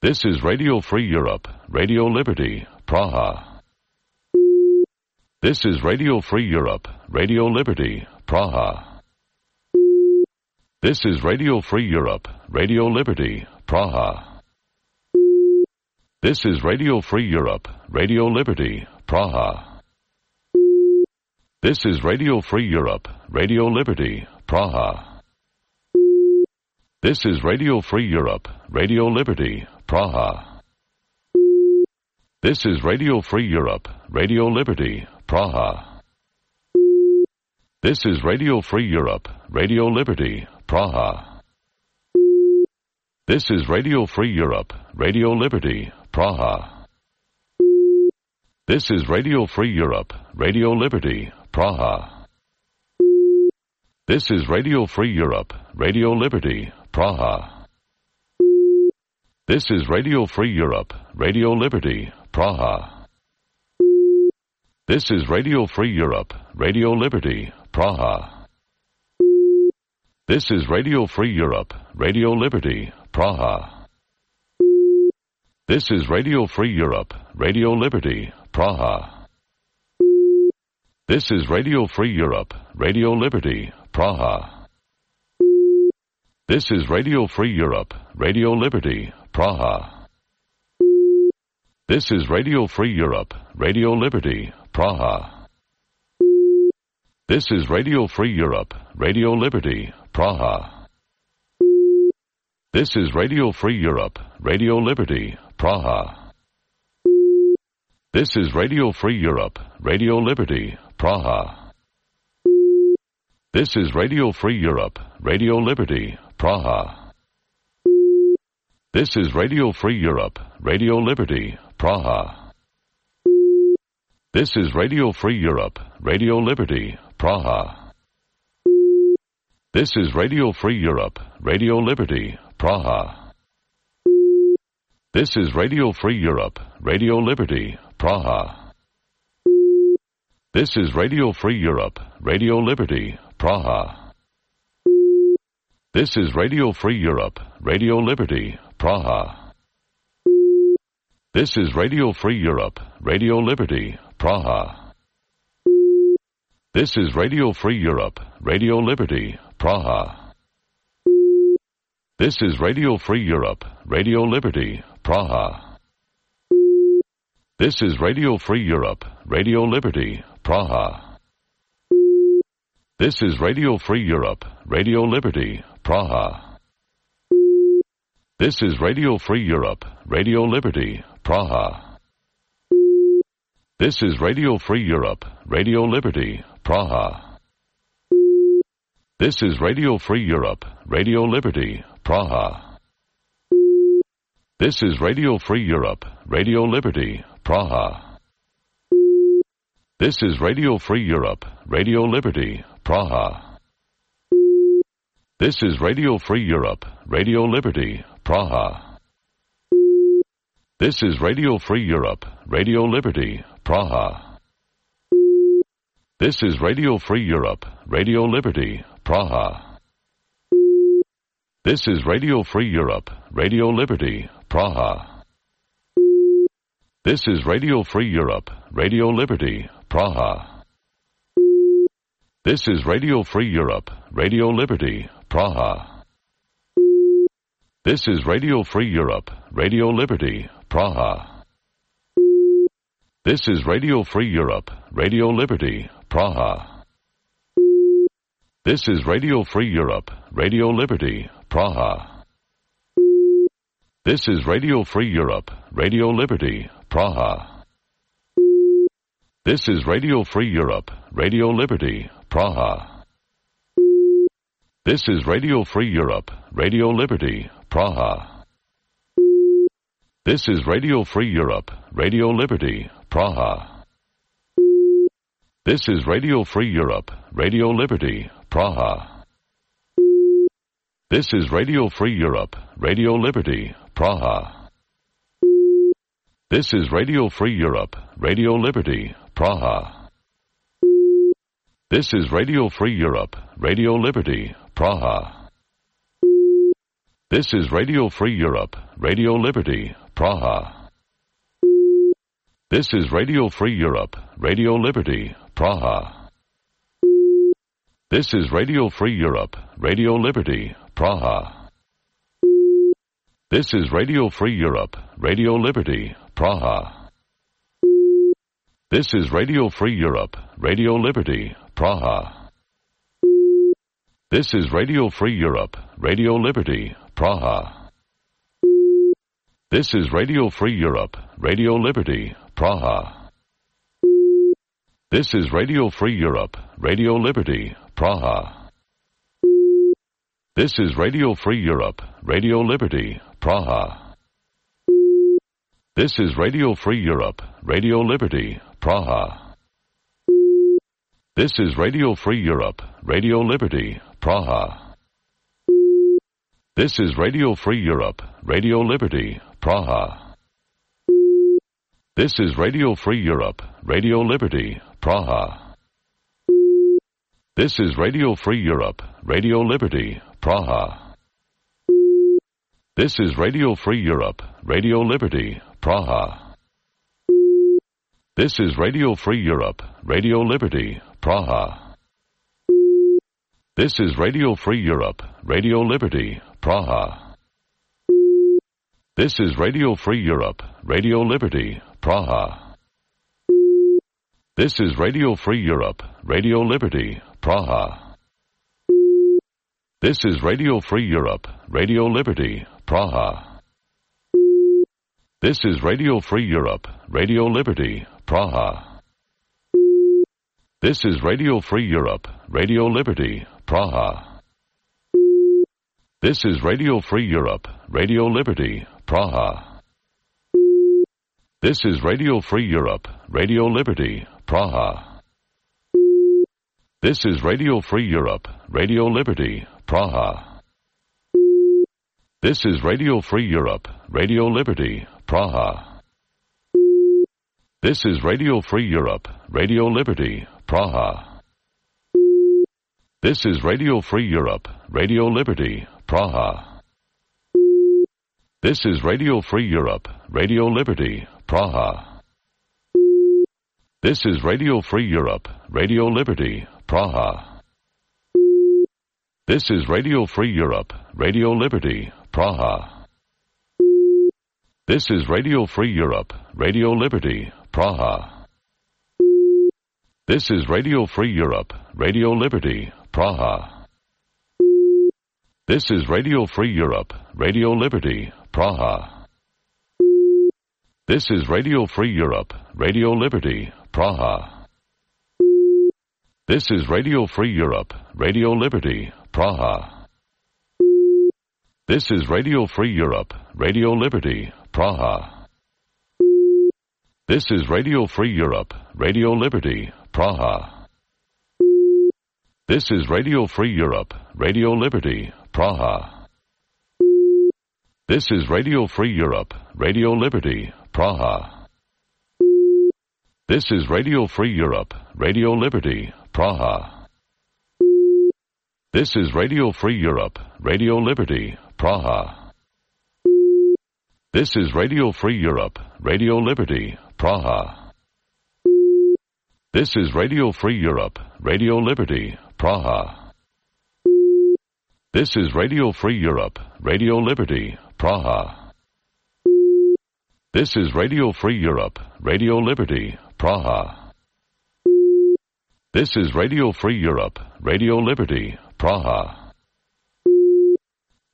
This is Radio Free Europe, Radio Liberty, Praha. This is Radio Free Europe, Radio Liberty, Praha. This is Radio Free Europe, Radio Liberty, Praha. This is Radio Free Europe, Radio Liberty, Praha. This is Radio Free Europe, Radio Liberty, Praha. This is Radio Free Europe, Radio Liberty, Praha. This is Radio Free Europe, Radio Liberty, Praha. This is Radio Free Europe, Radio Liberty, Praha. This is Radio Free Europe, Radio Liberty, Praha. This is Radio Free Europe, Radio Liberty, Praha. This is Radio Free Europe, Radio Liberty, Praha. This is Radio Free Europe, Radio Liberty, Praha. This is Radio Free Europe, Radio Liberty, Praha. This is Radio Free Europe, Radio Liberty, Praha. This is Radio Free Europe, Radio Liberty, Praha. This is Radio Free Europe, Radio Liberty, Praha. This is Radio Free Europe, Radio Liberty, Praha. This is Radio Free Europe, Radio Liberty, Praha. This is Radio Free Europe, Radio Liberty, Praha. This is Radio Free Europe, Radio Liberty, Praha. This is Radio Free Europe, Radio Liberty, Praha. This is Radio Free Europe, Radio Liberty, Praha. This is Radio Free Europe, Radio Liberty, Praha. This is Radio Free Europe, Radio Liberty, Praha. This is Radio Free Europe, Radio Liberty, Praha. This is Radio Free Europe, Radio Liberty, Praha. This is Radio Free Europe, Radio Liberty, Praha. This is Radio Free Europe, Radio Liberty, Praha. This is Radio Free Europe, Radio Liberty, Praha. This is Radio Free Europe, Radio Liberty, Praha. This is Radio Free Europe, Radio Liberty, Praha. This is Radio Free Europe, Radio Liberty, Praha. This is Radio Free Europe, Radio Liberty, Praha. This is Radio Free Europe, Radio Liberty, Praha. This is Radio Free Europe, Radio Liberty, Praha. This is Radio Free Europe, Radio Liberty, Praha. This is Radio Free Europe, Radio Liberty, Praha. This is Radio Free Europe, Radio Liberty, Praha. This is Radio Free Europe, Radio Liberty, Praha. This is Radio Free Europe, Radio Liberty, Praha. This is Radio Free Europe, Radio Liberty, Praha. This is Radio Free Europe, Radio Liberty, Praha. This is Radio Free Europe, Radio Liberty, Praha. This is Radio Free Europe, Radio Liberty, Praha. This is Radio Free Europe, Radio Liberty, Praha. This is Radio Free Europe, Radio Liberty, Praha. This is Radio Free Europe, Radio Liberty, Praha. This is Radio Free Europe, Radio Liberty, Praha. This is Radio Free Europe, Radio Liberty, Praha. This is Radio Free Europe, Radio Liberty, Praha. This is Radio Free Europe, Radio Liberty, Praha. This is Radio Free Europe, Radio Liberty, Praha. This is Radio Free Europe, Radio Liberty, Praha. This is Radio Free Europe, Radio Liberty, Praha. This is Radio Free Europe, Radio Liberty, Praha. This is Radio Free Europe, Radio Liberty, Praha. This is Radio Free Europe, Radio Liberty, Praha. This is Radio Free Europe, Radio Liberty, Praha. This is Radio Free Europe, Radio Liberty, Praha. This is Radio Free Europe, Radio Liberty, Praha. This is Radio Free Europe, Radio Liberty, Praha. This is Radio Free Europe, Radio Liberty, Praha. This is Radio Free Europe, Radio Liberty, Praha. This is Radio Free Europe, Radio Liberty, Praha. This is Radio Free Europe, Radio Liberty, Praha. This is Radio Free Europe, Radio Liberty, Praha. This is Radio Free Europe, Radio Liberty, Praha. This is Radio Free Europe, Radio Liberty, Praha. This is Radio Free Europe, Radio Liberty, Praha. This is Radio Free Europe, Radio Liberty, Praha. This is Radio Free Europe, Radio Liberty, Praha. This is Radio Free Europe, Radio Liberty, Praha. This is Radio Free Europe, Radio Liberty, Praha. This is Radio Free Europe, Radio Liberty, Praha. This is Radio Free Europe, Radio Liberty, Praha. This is Radio Free Europe, Radio Liberty, Praha. This is Radio Free Europe, Radio Liberty, Praha. This is Radio Free Europe, Radio Liberty, Praha. This is Radio Free Europe, Radio Liberty, Praha. This is Radio Free Europe, Radio Liberty, Praha. This is Radio Free Europe, Radio Liberty, Praha. This is Radio Free Europe, Radio Liberty, Praha. This is Radio Free Europe, Radio Liberty, Praha. This is Radio Free Europe, Radio Liberty, Praha. This is Radio Free Europe, Radio Liberty, Praha. This is Radio Free Europe, Radio Liberty, Praha. This is Radio Free Europe, Radio Liberty, Praha. This is Radio Free Europe, Radio Liberty, Praha. This is Radio Free Europe, Radio Liberty, Praha. This is Radio Free Europe, Radio Liberty, Praha. This is Radio Free Europe, Radio Liberty, Praha. This is Radio Free Europe, Radio Liberty, Praha. This is Radio Free Europe, Radio Liberty, Praha. This is Radio Free Europe, Radio Liberty, Praha. This is Radio Free Europe, Radio Liberty, Praha. This is Radio Free Europe, Radio Liberty, Praha. This is Radio Free Europe, Radio Liberty, Praha. This is Radio Free Europe, Radio Liberty, Praha. This is Radio Free Europe, Radio Liberty, Praha. This is Radio Free Europe, Radio Liberty, Praha. This is Radio Free Europe, Radio Liberty, Praha. This is Radio Free Europe, Radio Liberty, Praha.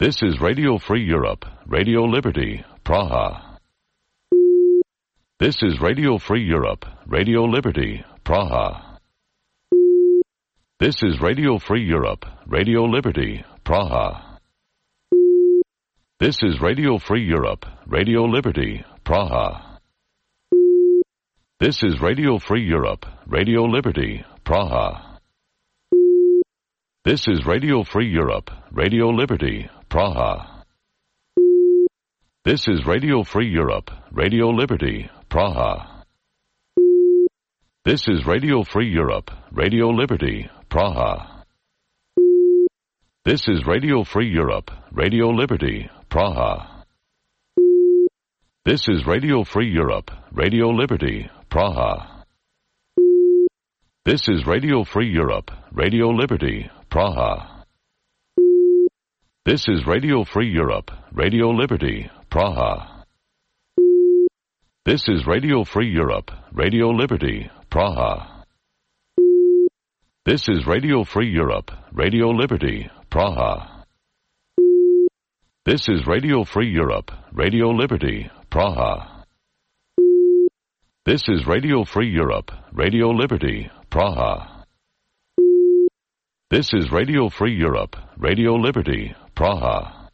This is Radio Free Europe, Radio Liberty, Praha. This is Radio Free Europe, Radio Liberty, Praha. This is Radio Free Europe, Radio Liberty, Praha. This is Radio Free Europe, Radio Liberty, Praha. This is Radio Free Europe, Radio Liberty, Praha. This is Radio Free Europe, Radio Liberty, Praha. This is Radio Free Europe, Radio Liberty, Praha. This is Radio Free Europe, Radio Liberty, Praha. This is Radio Free Europe, Radio Liberty, Praha. This is Radio Free Europe, Radio Liberty, Praha. This is Radio Free Europe, Radio Liberty, Praha. This is Radio Free Europe, Radio Liberty, Praha. This is Radio Free Europe, Radio Liberty, Praha. This is Radio Free Europe, Radio Liberty, Praha. This is Radio Free Europe, Radio Liberty, Praha. This is Radio Free Europe, Radio Liberty,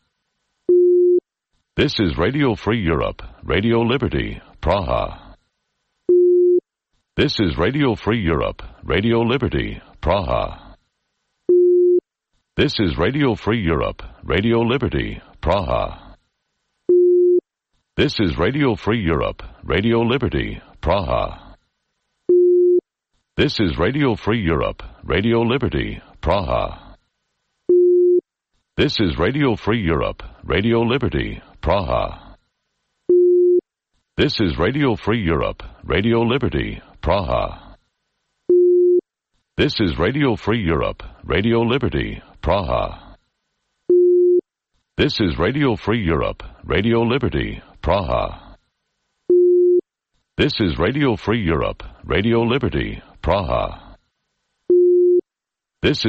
Praha. This is Radio Free Europe, Radio Liberty, Praha. This is Radio Free Europe, Radio Liberty, Praha. This is Radio Free Europe, Radio Liberty, Praha. This is Radio Free Europe, Radio Liberty, Praha. This is Radio Free Europe, Radio Liberty, Praha. This is Radio Free Europe, Radio Liberty, Praha. This is Radio Free Europe, Radio Liberty, Praha. This is Radio Free Europe, Radio Liberty, Praha. This is Radio Free Europe, Radio Liberty, Praha. This is Radio Free Europe, Radio Liberty, Praha. This is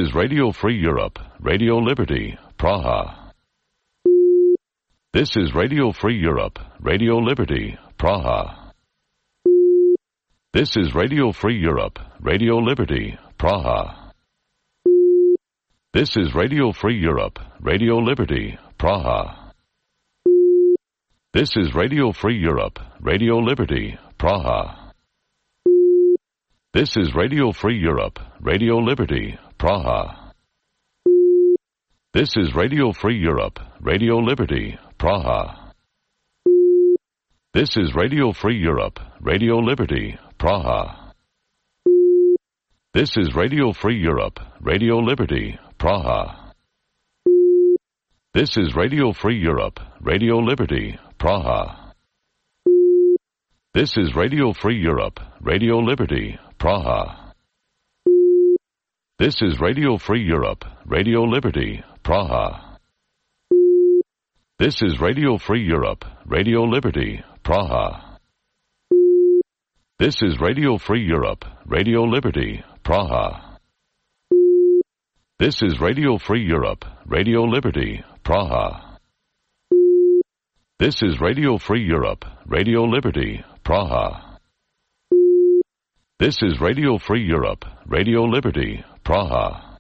Radio Free Europe, Radio Liberty, Praha. This is Radio Free Europe, Radio Liberty, Praha. This is Radio Free Europe, Radio Liberty, Praha. This is Radio Free Europe, Radio Liberty, Praha. This is Radio Free Europe, Radio Liberty, Praha. This is Radio Free Europe, Radio Liberty, Praha. This is Radio Free Europe, Radio Liberty, Praha. This is Radio Free Europe, Radio Liberty, Praha. This is Radio Free Europe, Radio Liberty, Praha. This is Radio Free Europe, Radio Liberty, Praha. This is Radio Free Europe, Radio Liberty, Praha. This is Radio Free Europe, Radio Liberty, Praha. This is Radio Free Europe, Radio Liberty, Praha. This is Radio Free Europe, Radio Liberty, Praha. This is Radio Free Europe, Radio Liberty, Praha. This is Radio Free Europe, Radio Liberty, Praha. This is Radio Free Europe, Radio Liberty, Praha. This is Radio Free Europe, Radio Liberty, Praha.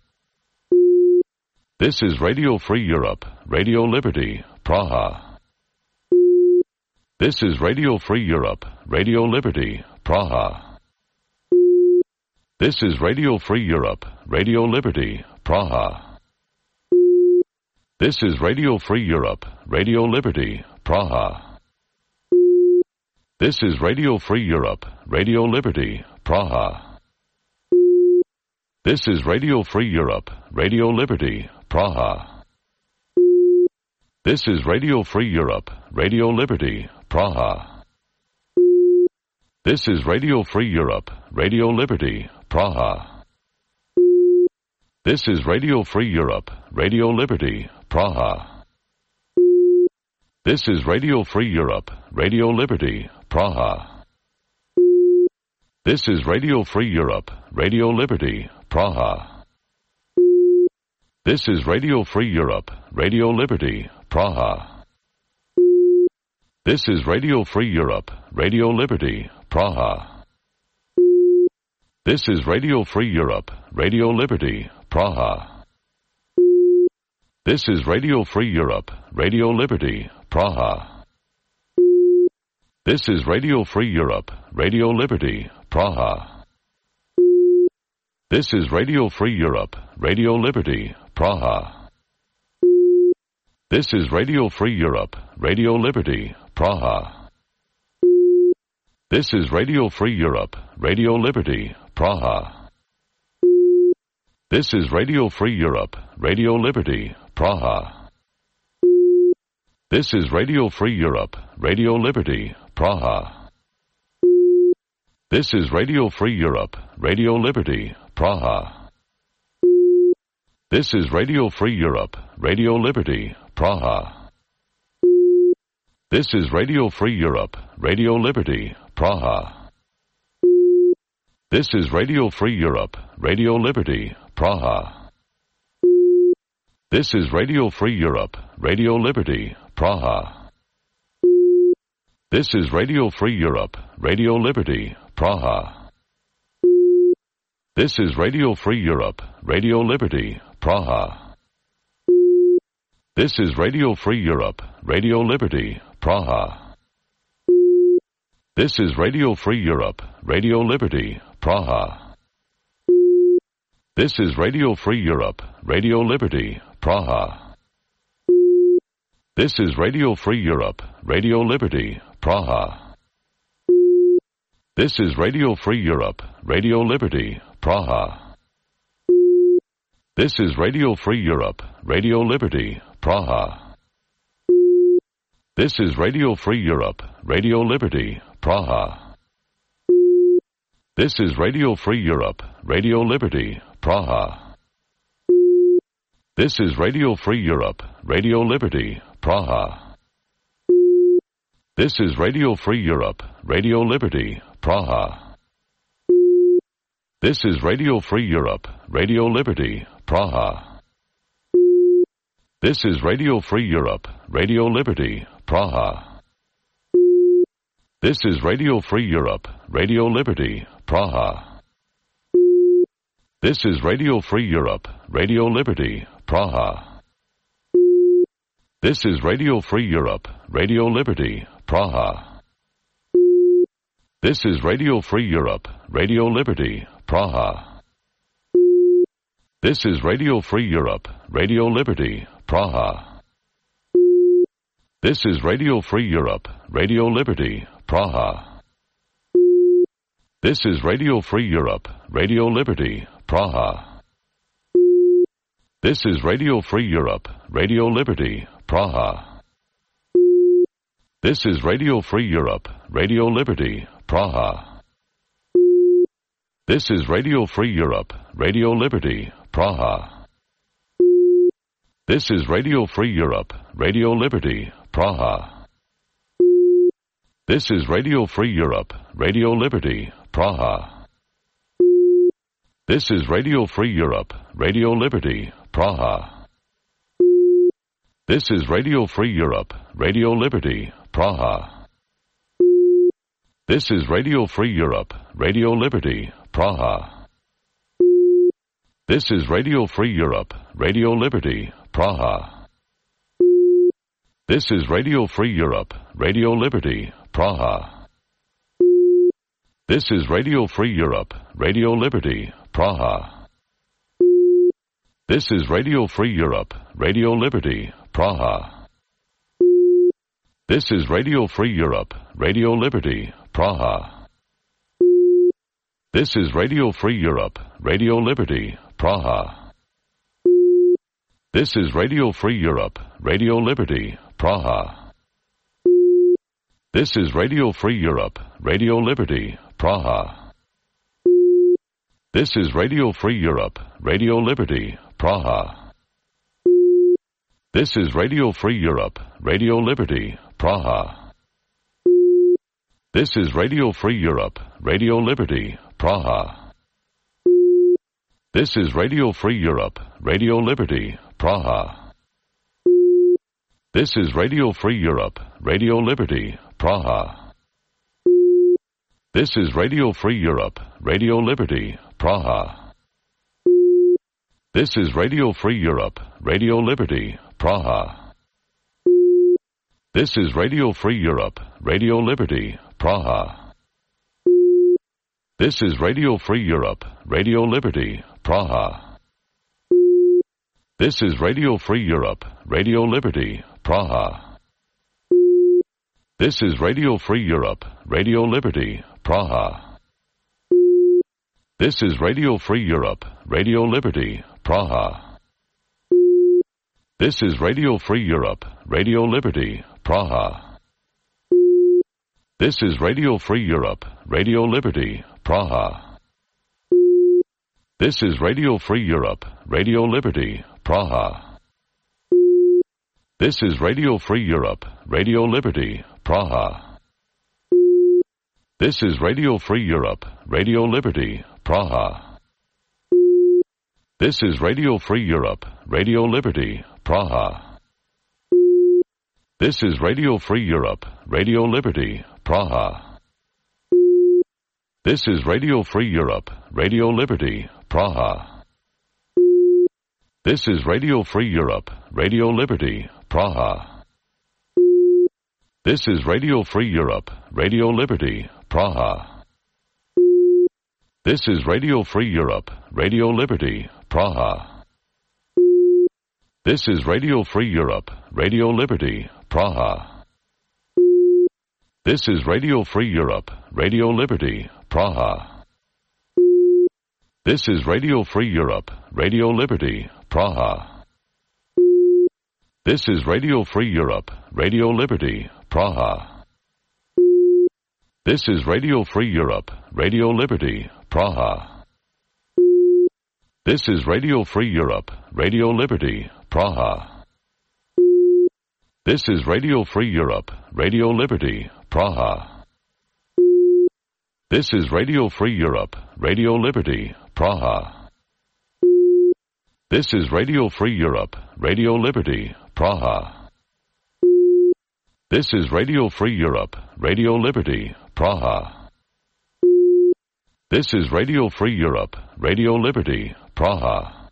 This is Radio Free Europe, Radio Liberty, Praha. This is Radio Free Europe, Radio Liberty, Praha. This is Radio Free Europe, Radio Liberty, Praha. This is Radio Free Europe, Radio Liberty, Praha. This is Radio Free Europe, Radio Liberty, Praha. This is Radio Free Europe, Radio Liberty, Praha. This is Radio Free Europe, Radio Liberty, Praha. This is Radio Free Europe, Radio Liberty, Praha. This is Radio Free Europe, Radio Liberty, Praha. This is Radio Free Europe, Radio Liberty, Praha. This is Radio Free Europe, Radio Liberty, Praha. This is Radio Free Europe, Radio Liberty, Praha. This is Radio Free Europe, Radio Liberty, Praha. This is Radio Free Europe, Radio Liberty, Praha. This is Radio Free Europe, Radio Liberty, Praha. This is Radio Free Europe, Radio Liberty, Praha. This is Radio Free Europe, Radio Liberty, Praha. This is Radio Free Europe, Radio Liberty, Praha. This is Radio Free Europe, Radio Liberty, Praha. This is Radio Free Europe, Radio Liberty, Praha. This is Radio Free Europe, Radio Liberty, Praha. This is Radio Free Europe, Radio Liberty, Praha. This is Radio Free Europe, Radio Liberty, Praha. This is Radio Free Europe, Radio Liberty, Praha. This is Radio Free Europe, Radio Liberty, Praha. This is Radio Free Europe, Radio Liberty, Praha. This is Radio Free Europe, Radio Liberty, Praha. This is Radio Free Europe, Radio Liberty, Praha. This is Radio Free Europe, Radio Liberty, Praha. This is Radio Free Europe, Radio Liberty, Praha. This is Radio Free Europe, Radio Liberty, Praha. This is Radio Free Europe, Radio Liberty, Praha. This is Radio Free Europe, Radio Liberty, Praha. This is Radio Free Europe, Radio Liberty, Praha. This is Radio Free Europe, Radio Liberty, Praha. This is Radio Free Europe, Radio Liberty, Praha. This is Radio Free Europe, Radio Liberty, Praha. This is Radio Free Europe, Radio Liberty, Praha. This is Radio Free Europe, Radio Liberty, Praha. This is Radio Free Europe, Radio Liberty, Praha. This is Radio Free Europe, Radio Liberty, Praha. This is Radio Free Europe, Radio Liberty, Praha. This is Radio Free Europe, Radio Liberty, Praha. This is Radio Free Europe, Radio Liberty, Praha. This is Radio Free Europe, Radio Liberty, Praha. This is Radio Free Europe, Radio Liberty, Praha. This is Radio Free Europe, Radio Liberty, Praha. This is Radio Free Europe, Radio Liberty, Praha. This is Radio Free Europe, Radio Liberty, Praha. This is Radio Free Europe, Radio Liberty, Praha. This is Radio Free Europe, Radio Liberty, Praha. This is Radio Free Europe, Radio Liberty, Praha. This is Radio Free Europe, Radio Liberty, Praha. This is Radio Free Europe, Radio Liberty, Praha. This is Radio Free Europe, Radio Liberty, Praha. This is Radio Free Europe, Radio Liberty, Praha. This is Radio Free Europe, Radio Liberty, Praha. This is Radio Free Europe, Radio Liberty, Praha. This is Radio Free Europe, Radio Liberty, Praha. This is Radio Free Europe, Radio Liberty, Praha. This is Radio Free Europe, Radio Liberty, Praha. This is Radio Free Europe, Radio Liberty, Praha. This is Radio Free Europe, Radio Liberty, Praha. This is Radio Free Europe, Radio Liberty, Praha. This is Radio Free Europe, Radio Liberty, Praha. This is Radio Free Europe, Radio Liberty, Praha. This is Radio Free Europe, Radio Liberty, Praha. This is Radio Free Europe, Radio Liberty, Praha. This is Radio Free Europe, Radio Liberty, Praha. This is Radio Free Europe, Radio Liberty, Praha. This is Radio Free Europe, Radio Liberty, Praha. This is Radio Free Europe, Radio Liberty, Praha. This is Radio Free Europe, Radio Liberty, Praha. This is Radio Free Europe, Radio Liberty, Praha. This is Radio Free Europe, Radio Liberty, Praha. This is Radio Free Europe, Radio Liberty, Praha. This is Radio Free Europe, Radio Liberty, Praha. This is Radio Free Europe, Radio Liberty, Praha. This is Radio Free Europe, Radio Liberty, Praha. This is Radio Free Europe, Radio Liberty, Praha. This is Radio Free Europe, Radio Liberty, Praha. This is Radio Free Europe, Radio Liberty, Praha. This is Radio Free Europe, Radio Liberty, Praha. This is Radio Free Europe, Radio Liberty, Praha. This is Radio Free Europe, Radio Liberty, Praha. This is Radio Free Europe, Radio Liberty, Praha. This is Radio Free Europe, Radio Liberty, Praha. This is Radio Free Europe, Radio Liberty, Praha. This is Radio Free Europe, Radio Liberty, Praha. This is Radio Free Europe, Radio Liberty, Praha. This is Radio Free Europe, Radio Liberty, Praha. This is Radio Free Europe, Radio Liberty, Praha. This is Radio Free Europe, Radio Liberty, Praha. This is Radio Free Europe, Radio Liberty, Praha. This is Radio Free Europe, Radio Liberty, Praha. This is Radio Free Europe, Radio Liberty, Praha. This is Radio Free Europe, Radio Liberty, Praha.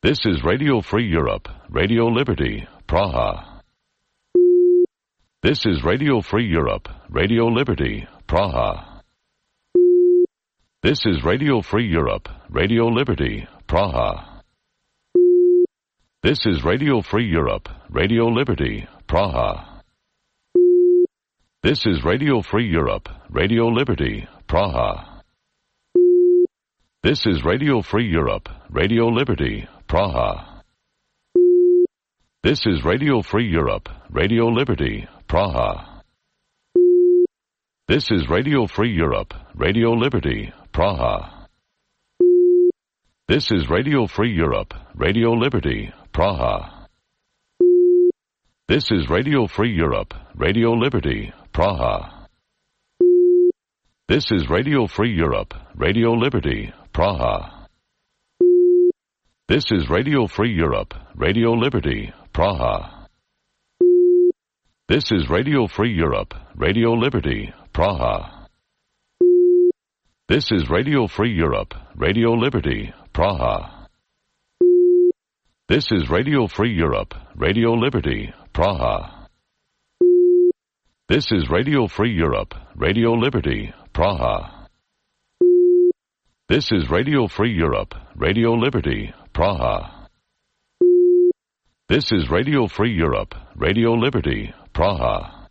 This is Radio Free Europe, Radio Liberty, Praha. This is Radio Free Europe, Radio Liberty, Praha. This is Radio Free Europe, Radio Liberty, Praha. This is Radio Free Europe, Radio Liberty, Praha. This is Radio Free Europe, Radio Liberty, Praha. This is Radio Free Europe, Radio Liberty, Praha. This is Radio Free Europe, Radio Liberty, Praha. This is Radio Free Europe, Radio Liberty, Praha. This is Radio Free Europe, Radio Liberty, Praha. This is Radio Free Europe, Radio Liberty, Praha. This is Radio Free Europe, Radio Liberty, Praha. This is Radio Free Europe, Radio Liberty, Praha. This is Radio Free Europe, Radio Liberty, Praha. This is Radio Free Europe, Radio Liberty, Praha. This is Radio Free Europe, Radio Liberty, Praha. This is Radio Free Europe, Radio Liberty, Praha. This is Radio Free Europe, Radio Liberty, Praha. This is Radio Free Europe, Radio Liberty, Praha.